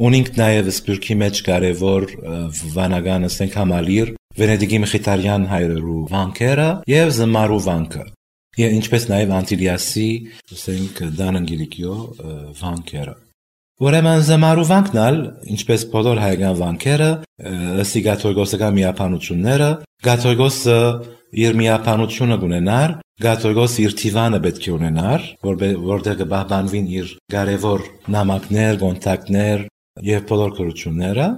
Ունենք նաև սպյուրքի մեջ կարևոր վանական ասենք համալիր Վենեդիգի Մխիթարյան հայրերու վանքերը եւ զմարու վանքը։ Եվ ինչպես նաև Անտիլիասի ասենք Դանանգիրիկյո վանքերը։ Ուրեմն զմարու վանքնալ, ինչպես բոլոր հայկական վանքերը, ըստ Գաթողիկոսական միապանությունները, Գաթողիկոսը իր միապանությունը ունենար, Գաթողիկոսը իր թիվանը պետք է ունենար, որտեղ կպահպանվին իր կարևոր նամակներ, կոնտակտներ եւ բոլոր կրությունները,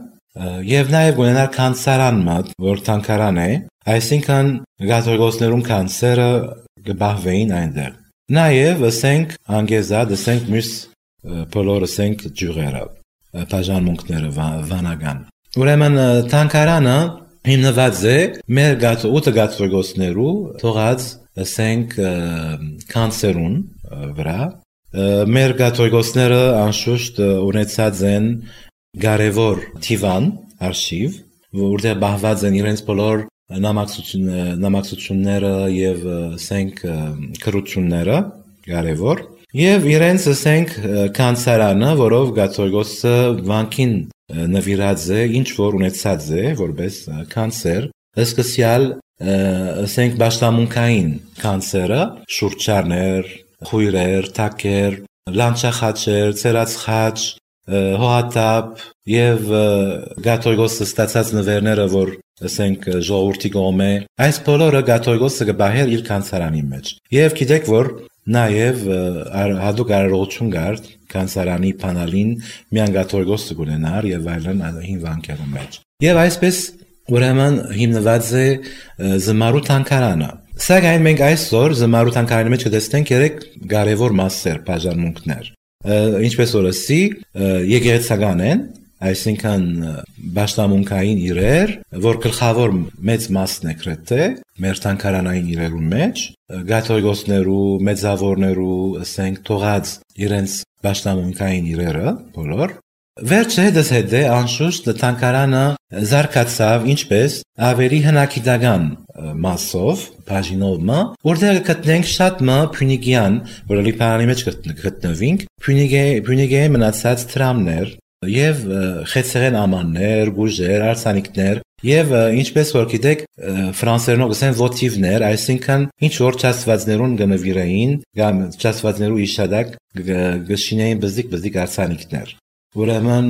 եւ նաեւ ունենար կանցարան մոտ, որ տանկարան է, այսինքն Գաթողիկոսներուն կանցերը կբահվեին այնտեղ։ Նաեւ ասենք անգեզա, ասենք մյուս բոլոր ասենք ջուրերը, բաժանմունքները վանական։ Ուրեմն տանկարանը հիմնված է մեր գաթողիկոսը գաթողիկոսներու թողած ասենք կանցերուն վրա։ Մեր գաթողիկոսները անշուշտ ունեցած են կարևոր թիվան արխիվ, որտեղ բահված են իրենց բոլոր նամակցությունները եւ ասենք քրությունները կարևոր եւ իրենց ասենք կանցարանը, որով գաթողիկոսը վանքին նվիրած է, ինչ որ ունեցած է, որպես կանցեր, սկսյալ ասենք բաշտամունքային կանցերը, շուրճարներ, խույրեր, թակեր, լանչախաչեր, ցերացխաչ, հոհատապ եւ գաթողիկոսը ստացած նվերները, որ ասենք ժողովրդի կողմէ, այս բոլորը գաթողիկոսը կբահեր իր կանցարանի մեջ։ Եվ գիտեք որ նաեւ հadouk արարողություն կար կանցարանի փանալին միան գաթողիկոսը կունենար եւ այլն հին վանքերու մեջ։ Եվ այսպես ուրեմն հիմնված է զմարու տանկարանը։ Սակայն մենք այսօր զմարու տանկարանի մեջ կտեսնենք երեք կարևոր մասեր, բաժանմունքներ։ Ինչպես օրսի եկեղեցական են, այսինքն բաշտամունքային իրեր, որ գլխավոր մեծ մասն է գրեթե մեր տանկարանային իրերու մեջ, գաթողիկոսներու, մեծավորներու, ասենք թողած իրենց բաշտամունքային իրերը, բոլոր։ Վերջը հետս հետե անշուշտ տանկարանը զարգացավ ինչպես ավելի հնագիտական մասով, բաժինովը, որտեղ գտնենք շատ մը փյունիկյան, որը լիբանանի մեջ գտնվինք, փյունիկեի մնացած տրամներ եւ խեցեղեն ամաններ, գուժեր, արսանիկներ եւ ինչպես որ գիտեք ֆրանսերենով ասեն ոթիվներ, այսինքն ինչ որ չաստվածներուն գնվիրեին, կամ չաստվածներու իշադակ գշինեին բզիկ բզիկ արսանիկներ։ Ուրեմն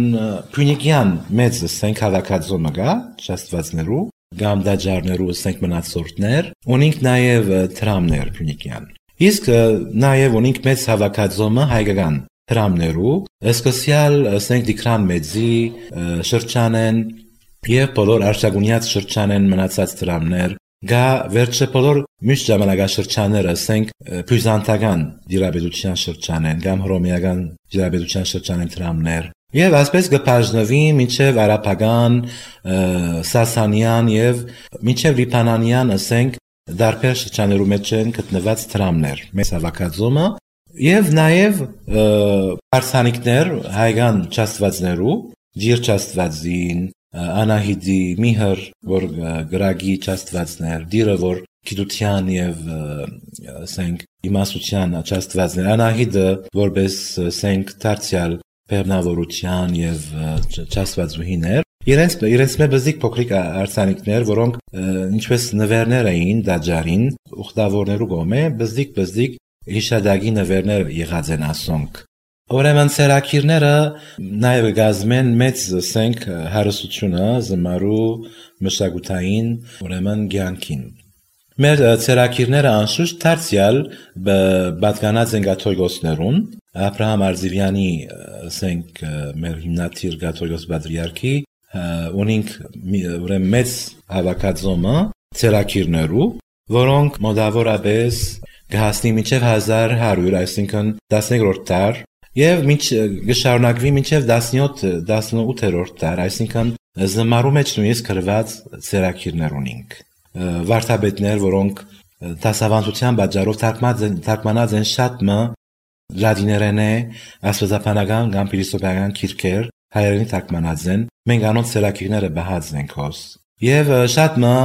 փյունիկյան մեծ ասենք հավաքածոմը գա չաստվածներու, կամ դաջարներու ասենք մնացորդներ, ունենք նաեւ տրամներ փյունիկյան։ Իսկ նաեւ ունենք մեծ հավաքածոմը հայկական տրամներու, սկսյալ ասենք Դիկրան մեծի շրջանեն եւ բոլոր արշակունյաց շրջանեն մնացած տրամներ, գա վերջը բոլոր մյուս ժամանակաշրջանները ասենք բյուզանդական դիրաբեդության շրջանեն, կամ հռոմեական դիրաբեդության շրջանեն տրամներ։ Եվ այսպես կբաժնվի մինչև արաբական, սասանյան եւ մինչև լիբանանյան ասենք դարբեր շրջաներու մեջ են գտնված տրամներ, մեծ հավաքածոմը եւ նաեւ արսանիկներ հայկական չաստվածներու, ջիր չաստվածին, Անահիդի, Միհր, որ գրագի չաստվածներ, դիրը որ գիտության եւ ասենք իմաստության չաստվածներ, Անահիդը որպես ասենք դարձյալ բեռնավորության եւ չաստվածուհիներ, իրենց իրենց մեբզիկ փոքրիկ արսանիկներ, որոնք ինչպես նվերներ էին դաջարին, ուխտավորներու կողմէ, բզիկ բզիկ հիշադակի նվերներ եղած են ասոնք։ Ուրեմն ցերակիրները նաև գազմեն մեծ սենք հարստությունը զմարու մշակութային ուրեմն ցանկին։ Մեր ցերակիրները անշուշտ դարձյալ պատկանած են կաթողիկոսներուն, Աբրահամ Արզիվյանի սենք մեր հիմնադիր կաթողիկոս պատրիարքի ունինք ուրեմն մեծ հավաքածոմը ցերակիրներու, որոնք մոտավորապես կհասնի մինչև հազար հարյուր, այսինքն տասներորդ դար, եւ մինչ գշարունակվի մինչև տասնութերորդ դար, այսինքն զմարու մեջ նույնիսկ գրված ցերակիրներ ունենք։ Վարդապետներ, որոնք դասավանդության պատճառով թարգմանած են շատ մը լատիներեն է, աստվածաբանական կամ փիլիսոփայական քիրքեր հայերենի թարգմանած են, մենք անոնց ցերակիրները բահած ենք հոս։ Եվ շատ մը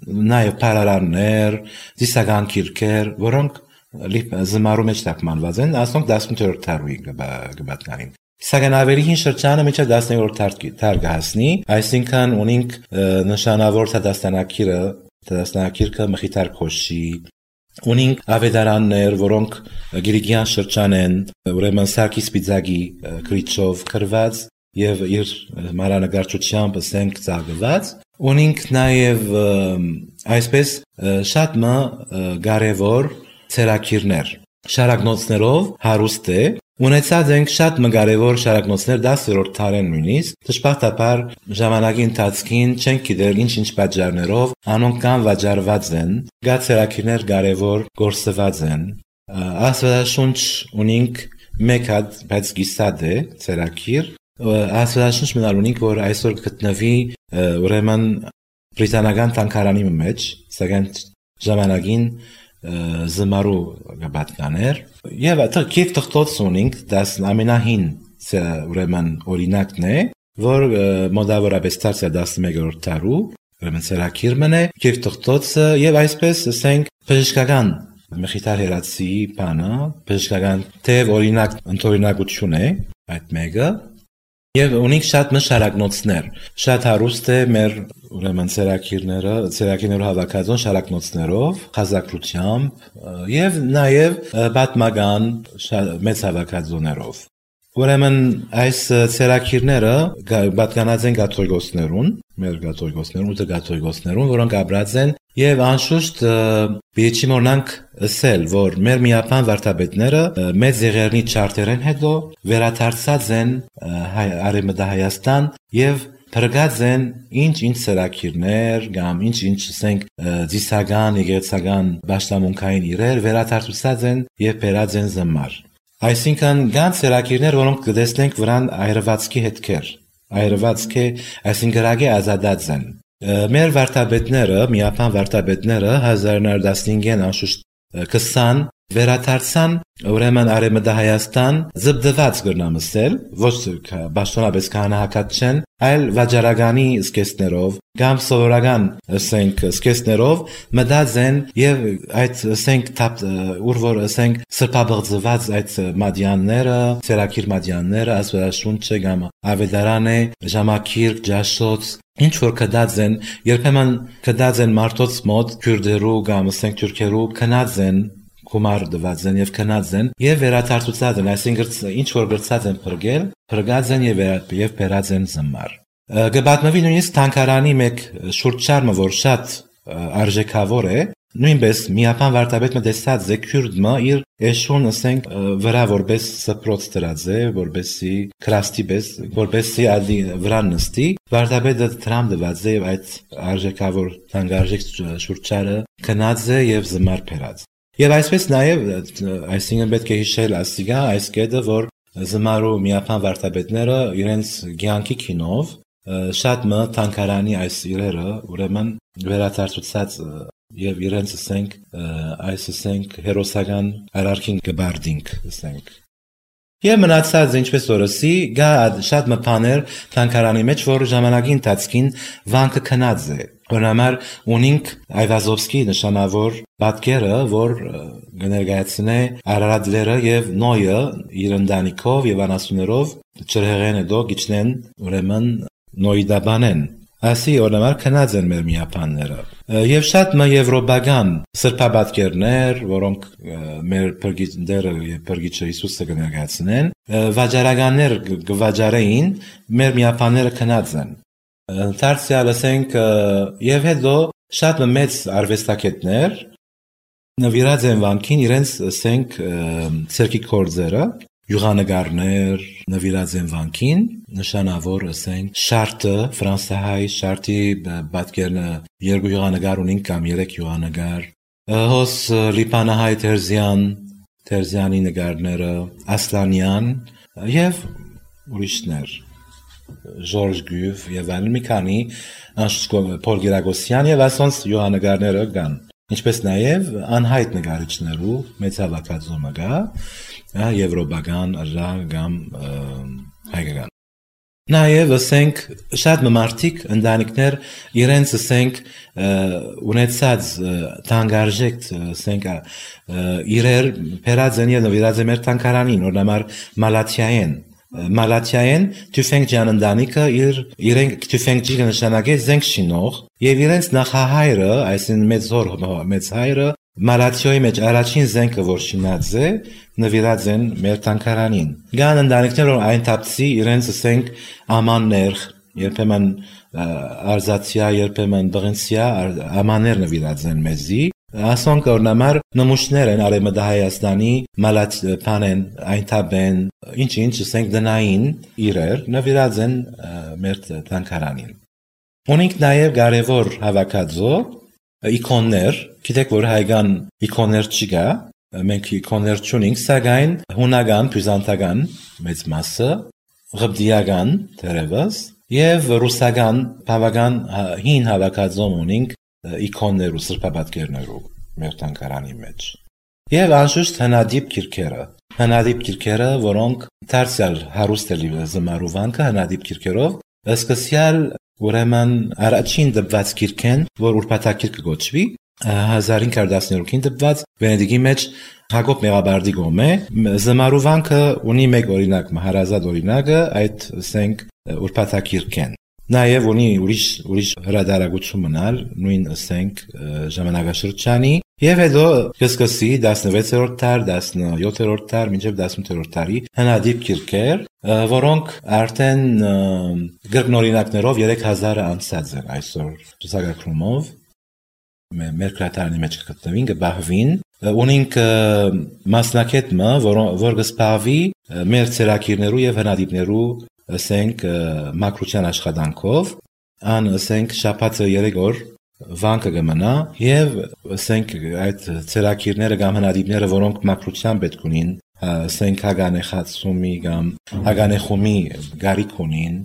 նաև փարարաններ, դիսական քիրքեր, որոնք զմարու մեջ թարգմանված են, ասոնք տասնութերորդ դարի կպատկանին։ Սակայն ավելի հին շրջանը մինչև տասներորդ դար կհասնի, այսինքն ունենք նշանավոր դաստանակիրը, դաստանակիրքը Մխիթար Քոշի, ունենք ավետարաններ, որոնք Գրիգյան շրջան են, ուրեմն Սարգիս Պիծակի գրիչով գրված եւ իր մանրանկարչությամբ սենք ծաղկված, ունենք նաև այսպես շատ մը կարևոր ցերակիրներ, շարակնոցներով հարուստ է, ունեցած ենք շատ մը կարևոր շարակնոցներ դասերորդ դարեն նույնիսկ, դժբախտաբար ժամանակի ընթացքին չենք գիտել ինչ-ինչ պատճառներով անոնք կան վաճառված են, գա ցերակիրներ կարևոր գործված են, աստվածաշունչ ունենք մեկ հատ, բայց գիսատ է ցերակիր, աստվածաշունչ մնալ ունենք, որ այսօր գտնվի ուրեմն բրիտանական թանգարանի մեջ, սակայն ժամանակին զմարու պատկաներ եւ այդքիվ թղթոց ունենք դաս ամենահին ուրեմն օրինակն է, որ մոտավորապես տասնմեկերորդ դարու ուրեմն ցերակիր մնե եւ թղթոցը եւ այսպես ասենք բժշկական Մխիթար Հերացիի բանը բժշկական թեև օրինակ ընդօրինակություն է այդ մեկը եւ ունենք շատ մշարակնոցներ, շատ հարուստ է մեր ուրեմն ցերակիրները, ցերակիրներու հավաքածոն շարակնոցներով, խազակրությամբ եւ նաեւ պատմական մեծ հավաքածոներով։ Ուրեմն այս ցերակիրները պատկանած են կաթողիկոսներուն, մեր կաթողիկոսներուն, ու կաթողիկոսներուն, որոնք ապրած են եւ անշուշտ բիեչի մոնանք ասել, որ մեր միապան վարդապետները մեծ եղերնի չարտերեն հետո վերադարձած են Արևմտահայաստան եւ փրկած են ինչ-ինչ ցերակիրներ կամ ինչ-ինչ ասենք ծիսական, եկեղեցական պաշտամունքային իրեր վերադարձած են եւ բերած են զմար։ Այսինքն կան ցերակիրներ, որոնք կտեսնենք վրան այրվածքի հետքեր, այրվածքի, այսինքն գրագի ազատած են։ Մեր վարդապետները, միապան վարդապետները հազար նոր տասնհինգին անշուշտ քսան վերադարձան ուրեմն Արևմտահայաստան զբդված կրնամսել, ոչ պաշտոնապես քահանայական չեն, այլ վաճառականի սկեսներով կամ սովորական ասենք սկեսներով մտած են եւ այդ ասենք ուր որ ասենք սրբաբղծված այդ մադյանները, ցերակիր մադյանները, աստվածաշունչը կամ ավետարանը, ժամակիր, ջաշոց ինչ որ կդած են, երբեմն կդած են մարդոց մոտ քուրդերու կամ ասենք թուրքերու կնած են գումար դված են եւ քնած են եւ վերադարձած են, այսինքն ինչ որ գրծած են փրկել, փրկած են եւ եւ բերած են զմար։ Գբատնվի նույնիսկ թանկարանի մեկ շուրճարմը, որ շատ արժեքավոր է, նույնպես միապան վարդապետը տեսած է քուրդը իր էշուն ասենք վրա որպես սփռոց դրած է, որպեսի քրաստի պես, որպեսի ադի վրան նստի, վարդապետը դրամ դված է եւ այդ արժեքավոր թանկարժեք շուրճարը քնած է եւ զմար բերած։ Եվ այսպես նաև, այսինքն պետք է հիշել ասիգա այս կետը, որ զմարու միապան վարդապետները իրենց ցանկի քինով շատ մը թանկարանի այս իրերը ուրեմն վերադարձած եւ իրենց ասենք այս ասենք հերոսական արարքին կբարդինք ասենք։ Եվ մնացած ինչպես օրսի գա շատ մը բաներ թանկարանի մեջ, որ ժամանակի ընթացքին վանքը քնած է։ Օրինակ ունենք Այվազովսկի նշանավոր պատկերը, որ կներկայացնե Արարատները եւ Նոյը իր ընտանիքով եւ անասուններով չրհեղեն հետո գիչնեն ուրեմն Նոյդաբանեն Ասի օրինակ քնած են մեր միապանները։ Եվ շատ մը եվրոպական սրբաբատկերներ, որոնք մեր փրկիչները եւ փրկիչը Հիսուսը կներկայացնեն, վաճառականներ գվաճառեին, մեր միապանները քնած են։ Դարձյալ ասենք եւ հետո շատ մեծ արվեստագետներ նվիրած են վանքին իրենց ասենք ցերկի կորձերը, յուղանագարներ նվիրած են վանքին, նշանավոր ասենք շարտը, ֆրանսահայ շարտի պատկերն երկու յուղանագար ունին կամ երեք յուղանագար, հոս լիբանահայ Տերզյան, Տերզյանի նկարները, Ասլանյան եւ ուրիշներ, Ժորժ Գյուվ եւ այլն մի քանի Պոլ Գերագոսյան եւ ասոնց յուղանագարները կան։ Ինչպես նաև անհայտ նկարիչներու մեծ հավաքածու կա, եվրոպական, կամ հայկական։ Նաև ասենք շատ մարդիկ ընտանիքներ իրենց ասենք ունեցած թանկարժեք ասենք իրեր փերած են եւ նվիրած են մեր թանկարանին, օրինակ Մալաթիային Մալաթիային Թյուֆենգջյան ընտանիքը իր իրենք Թյուֆենգջի նշանակեց զենք շինող եւ իրենց նախահայրը, այսինքն մեծ հոր մեծ հայրը Մալաթիոյի մեջ առաջին զենքը որ շինած է նվիրած են մեր թանկարանին։ Գան ընտանիքներ որ այն թափցի իրենց ասենք ամաններ, երբեմն արզացիա, երբեմն բղինցիա ամաններ նվիրած են մեզի։ Ասոնք օրինակ նմուշներ են Արևմտահայաստանի մալաթիան այն թաբեն ինչ-ինչ ասենք դնային իրեր նվիրած են մեր թանկարանին։ Ունենք նաև կարևոր հավաքածու իքոններ, գիտեք որ հայկական իքոններ չկա, մենք իքոններ չունենք, սակայն հունական, բյուզանդական մեծ մասը, ղբդիական դերևս եւ ռուսական բավական հին հավաքածու ունենք իքոններու, սրբաբատկերներու մեր թանկարանի մեջ։ Եվ անշուշտ հնադիպ քիրքերը, հնադիպ քիրքերը, որոնք դարձյալ հարուստ է զմարու վանքը հնադիպ քիրքերով, սկսյալ ուրեմն առաջին դպված քիրքեն, որ ուրբաթակիրք կոչվի, հազար հինգ հարյուր տասներորդ դպված Վենեդիգի մեջ Հակոբ Մեղաբարդի գոմե, զմարու վանքը ունի մեկ օրինակ, հարազատ օրինակը, այդ ասենք ուրբաթակիրքեն։ Նաև ունի ուրիշ ուրիշ հրադարագություն մնալ նույն ասենք ժամանակաշրջանի եւ հետո կսկսի տասնվեցերորդ դար, տասնյոթերորդ դար, մինչեւ տասնութերորդ դարի հնադիպ քիրքեր, որոնք արդեն գրքնօրինակներով երեք հազարը անցած են այսօր ցուցակագրումով մեր քրատարանի մեջ կգտնվին կբահվին ունենք մասնակետը որ կսպավի մեր ցերակիրներու եւ հնադիպներու ասենք մակրության աշխատանքով ան ասենք շաբաթը երեք օր վանքը կմնա եւ ասենք այդ ցերակիրները կամ հնադիպները որոնք մակրության պետք ունին ասենք հագանեխացումի կամ հագանեխումի գարիք ունին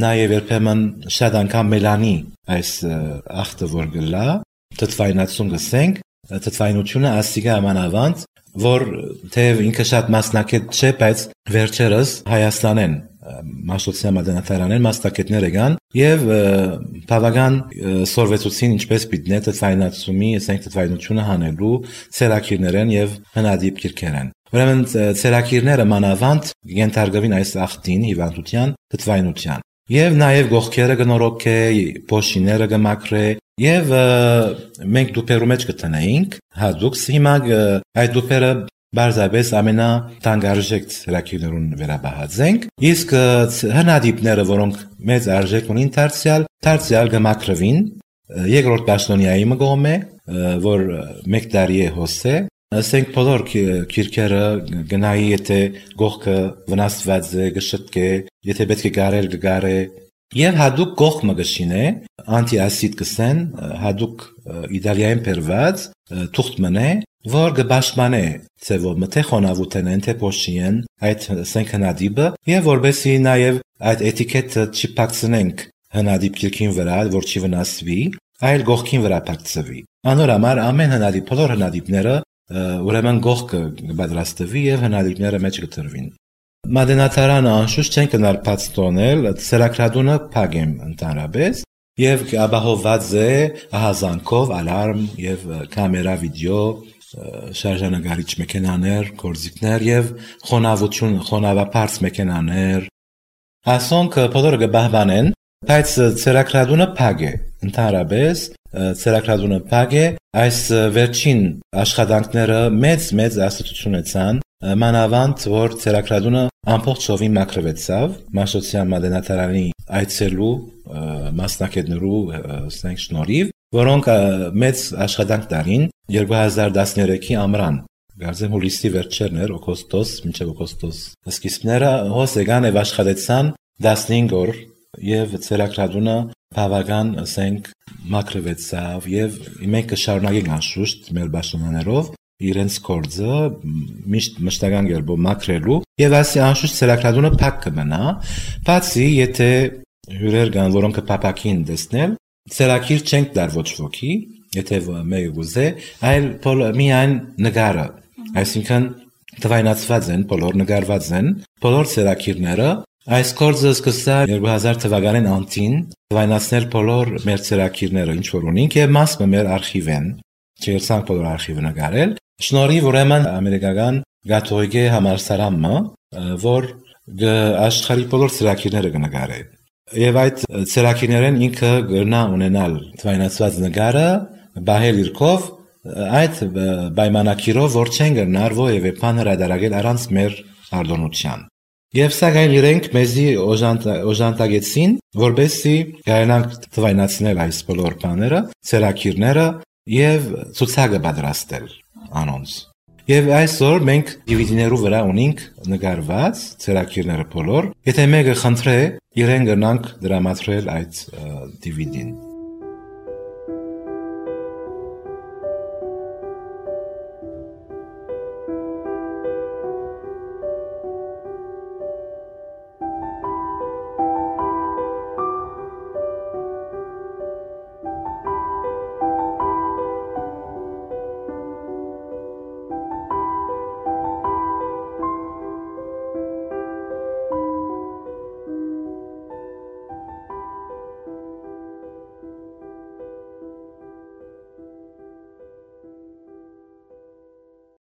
նաեւ երբեմն շատ անգամ մելանի այս ախտը որ գլա թթվայնացում գսենք թթվայնությունը ասիգա ամանավանդ որ թեև ինքը շատ մասնակետ չէ բայց վերջերս Հայաստանեն Մաշտոցյան մատենատարանեն մասնակետներ եկան եւ բավական սորվեցուցին ինչպես պիտի թթվայնացումի, ասենք թթվայնությունը հանելու ցերակիրներեն եւ հնադիպ քիրքերեն։ Ուրեմն ցերակիրները մանավանդ ենթարկվին այս ախտին հիվանդության թթվայնության։ Եվ նաեւ գողքերը կնորոքե, փոշիները կմաքրե եւ մենք դուպերու մեջ կտնեինք հadoop հիմա այդ դուպերը Բարձրապես ամենա տանգարժեք ցերակիրներուն վերաբահածենք, իսկ հնադիպները, որոնք մեծ արժեք ունին դարձյալ, դարձյալ կմաքրվին, երկրորդ պաշտոնյայի մգոմե, որ մեկ տարի է հոսե, ասենք բոլոր քիրքերը գնայի եթե գողքը վնասված է, կշտկե, եթե պետք է գարել կգարե, եւ հadoop գողը կշինե, անտիասիդ կսեն, հadoop Իտալիայում բերված, թուղթ մնե որ գբաշխմանե ծևով մթե խոնավութեն թե փոշիեն այդ ասենք հնադիպը եւ որբեսի նաեւ այդ էտիկետը չփակցնենք հնադիպ քիրքին վրա որ չի վնասվի այլ գողքին վրա փակցվի անորամար ամեն հնադիպ բոլոր հնադիպները ուրեմն գողքը կպատրաստվի եւ հնադիպները մեջ կտրվին մատենատարանը անշուշտ չեն կնարփած տոնել սերակրադունը փագեմ ընդհանրապես եւ ապահովված է ահազանգով ալարմ եւ կամերա վիդեո շարժանագարիչ մեքենաներ, գործիքներ եւ խոնավություն, խոնավապարծ մեքենաներ։ Ասոնք բոլորը կբահբանեն բայց ցերակրադունը փակ է, ընդհանրապես ցերակրադունը փակ է, այս վերջին աշխատանքները մեծ-մեծ աստուծություն ունեցան, մանավանդ որ ցերակրադունը ամբողջովին մաքրվեցավ Մաշտոցյան մատենադարանի այցելու մասնակիցներու ասենք շնորհիվ, որոնք մեծ աշխատանք տարին երկու հազար տասներեքի ամռան, գարզեմ հուլիսի վերջերն էր, օգոստոս, մինչև օգոստոս սկիզբները հոս եկան եւ աշխատեցան տասնհինգ օր եւ ցերակրադունը բավական ասենք մաքրվեցավ եւ մենք կշարունակենք անշուշտ մեր պաշտոնյաներով իրենց կորձը միշտ մշտական գերբով մաքրելու եւ ասի անշուշտ ցերակրադունը փակ կմնա, բացի եթե հյուրեր կան, որոնք կփապակին տեսնել, ցերակիր չենք դար ոչ ոքի, եթե մեկը գուզե, այլ միայն նկարը, այսինքն թվայնացված են, բոլոր նկարված են, բոլոր ցերակիրները, այս կորձը սկսած երկու հազար թվականին անտին թվայնացնել բոլոր մեր ցերակիրները, ինչ որ ունենք եւ մասը մեր արխիվեն, չերցանք բոլոր արխիվը նկարել, շնորհիվ ուրեմն ամերիկական կաթողիկե համալսարանը, որ աշխարհի բոլոր ցերակիրները կնկարի։ Եվ այդ ցերակիրներն ինքը գտնա ունենալ թվայնացված նկարը, բահել իրքով, այդ պայմանակիրով, որ չեն գտնար որևէ բան հրադարագել առանց մեր արտոնության։ Եվ սակայն իրենք մեզի օժանդակեցին, որբեսի կարողանանք թվայնացնել այս բոլոր բաները, ցերակիրները եւ ցուցակը պատրաստել անոնց։ Եվ այսօր մենք դի վի դի-ներու վրա ունենք նկարված ցերակիրները բոլոր, եթե մեկը խնդրե, իրեն գնանք դրամատրել այդ դի վի դին։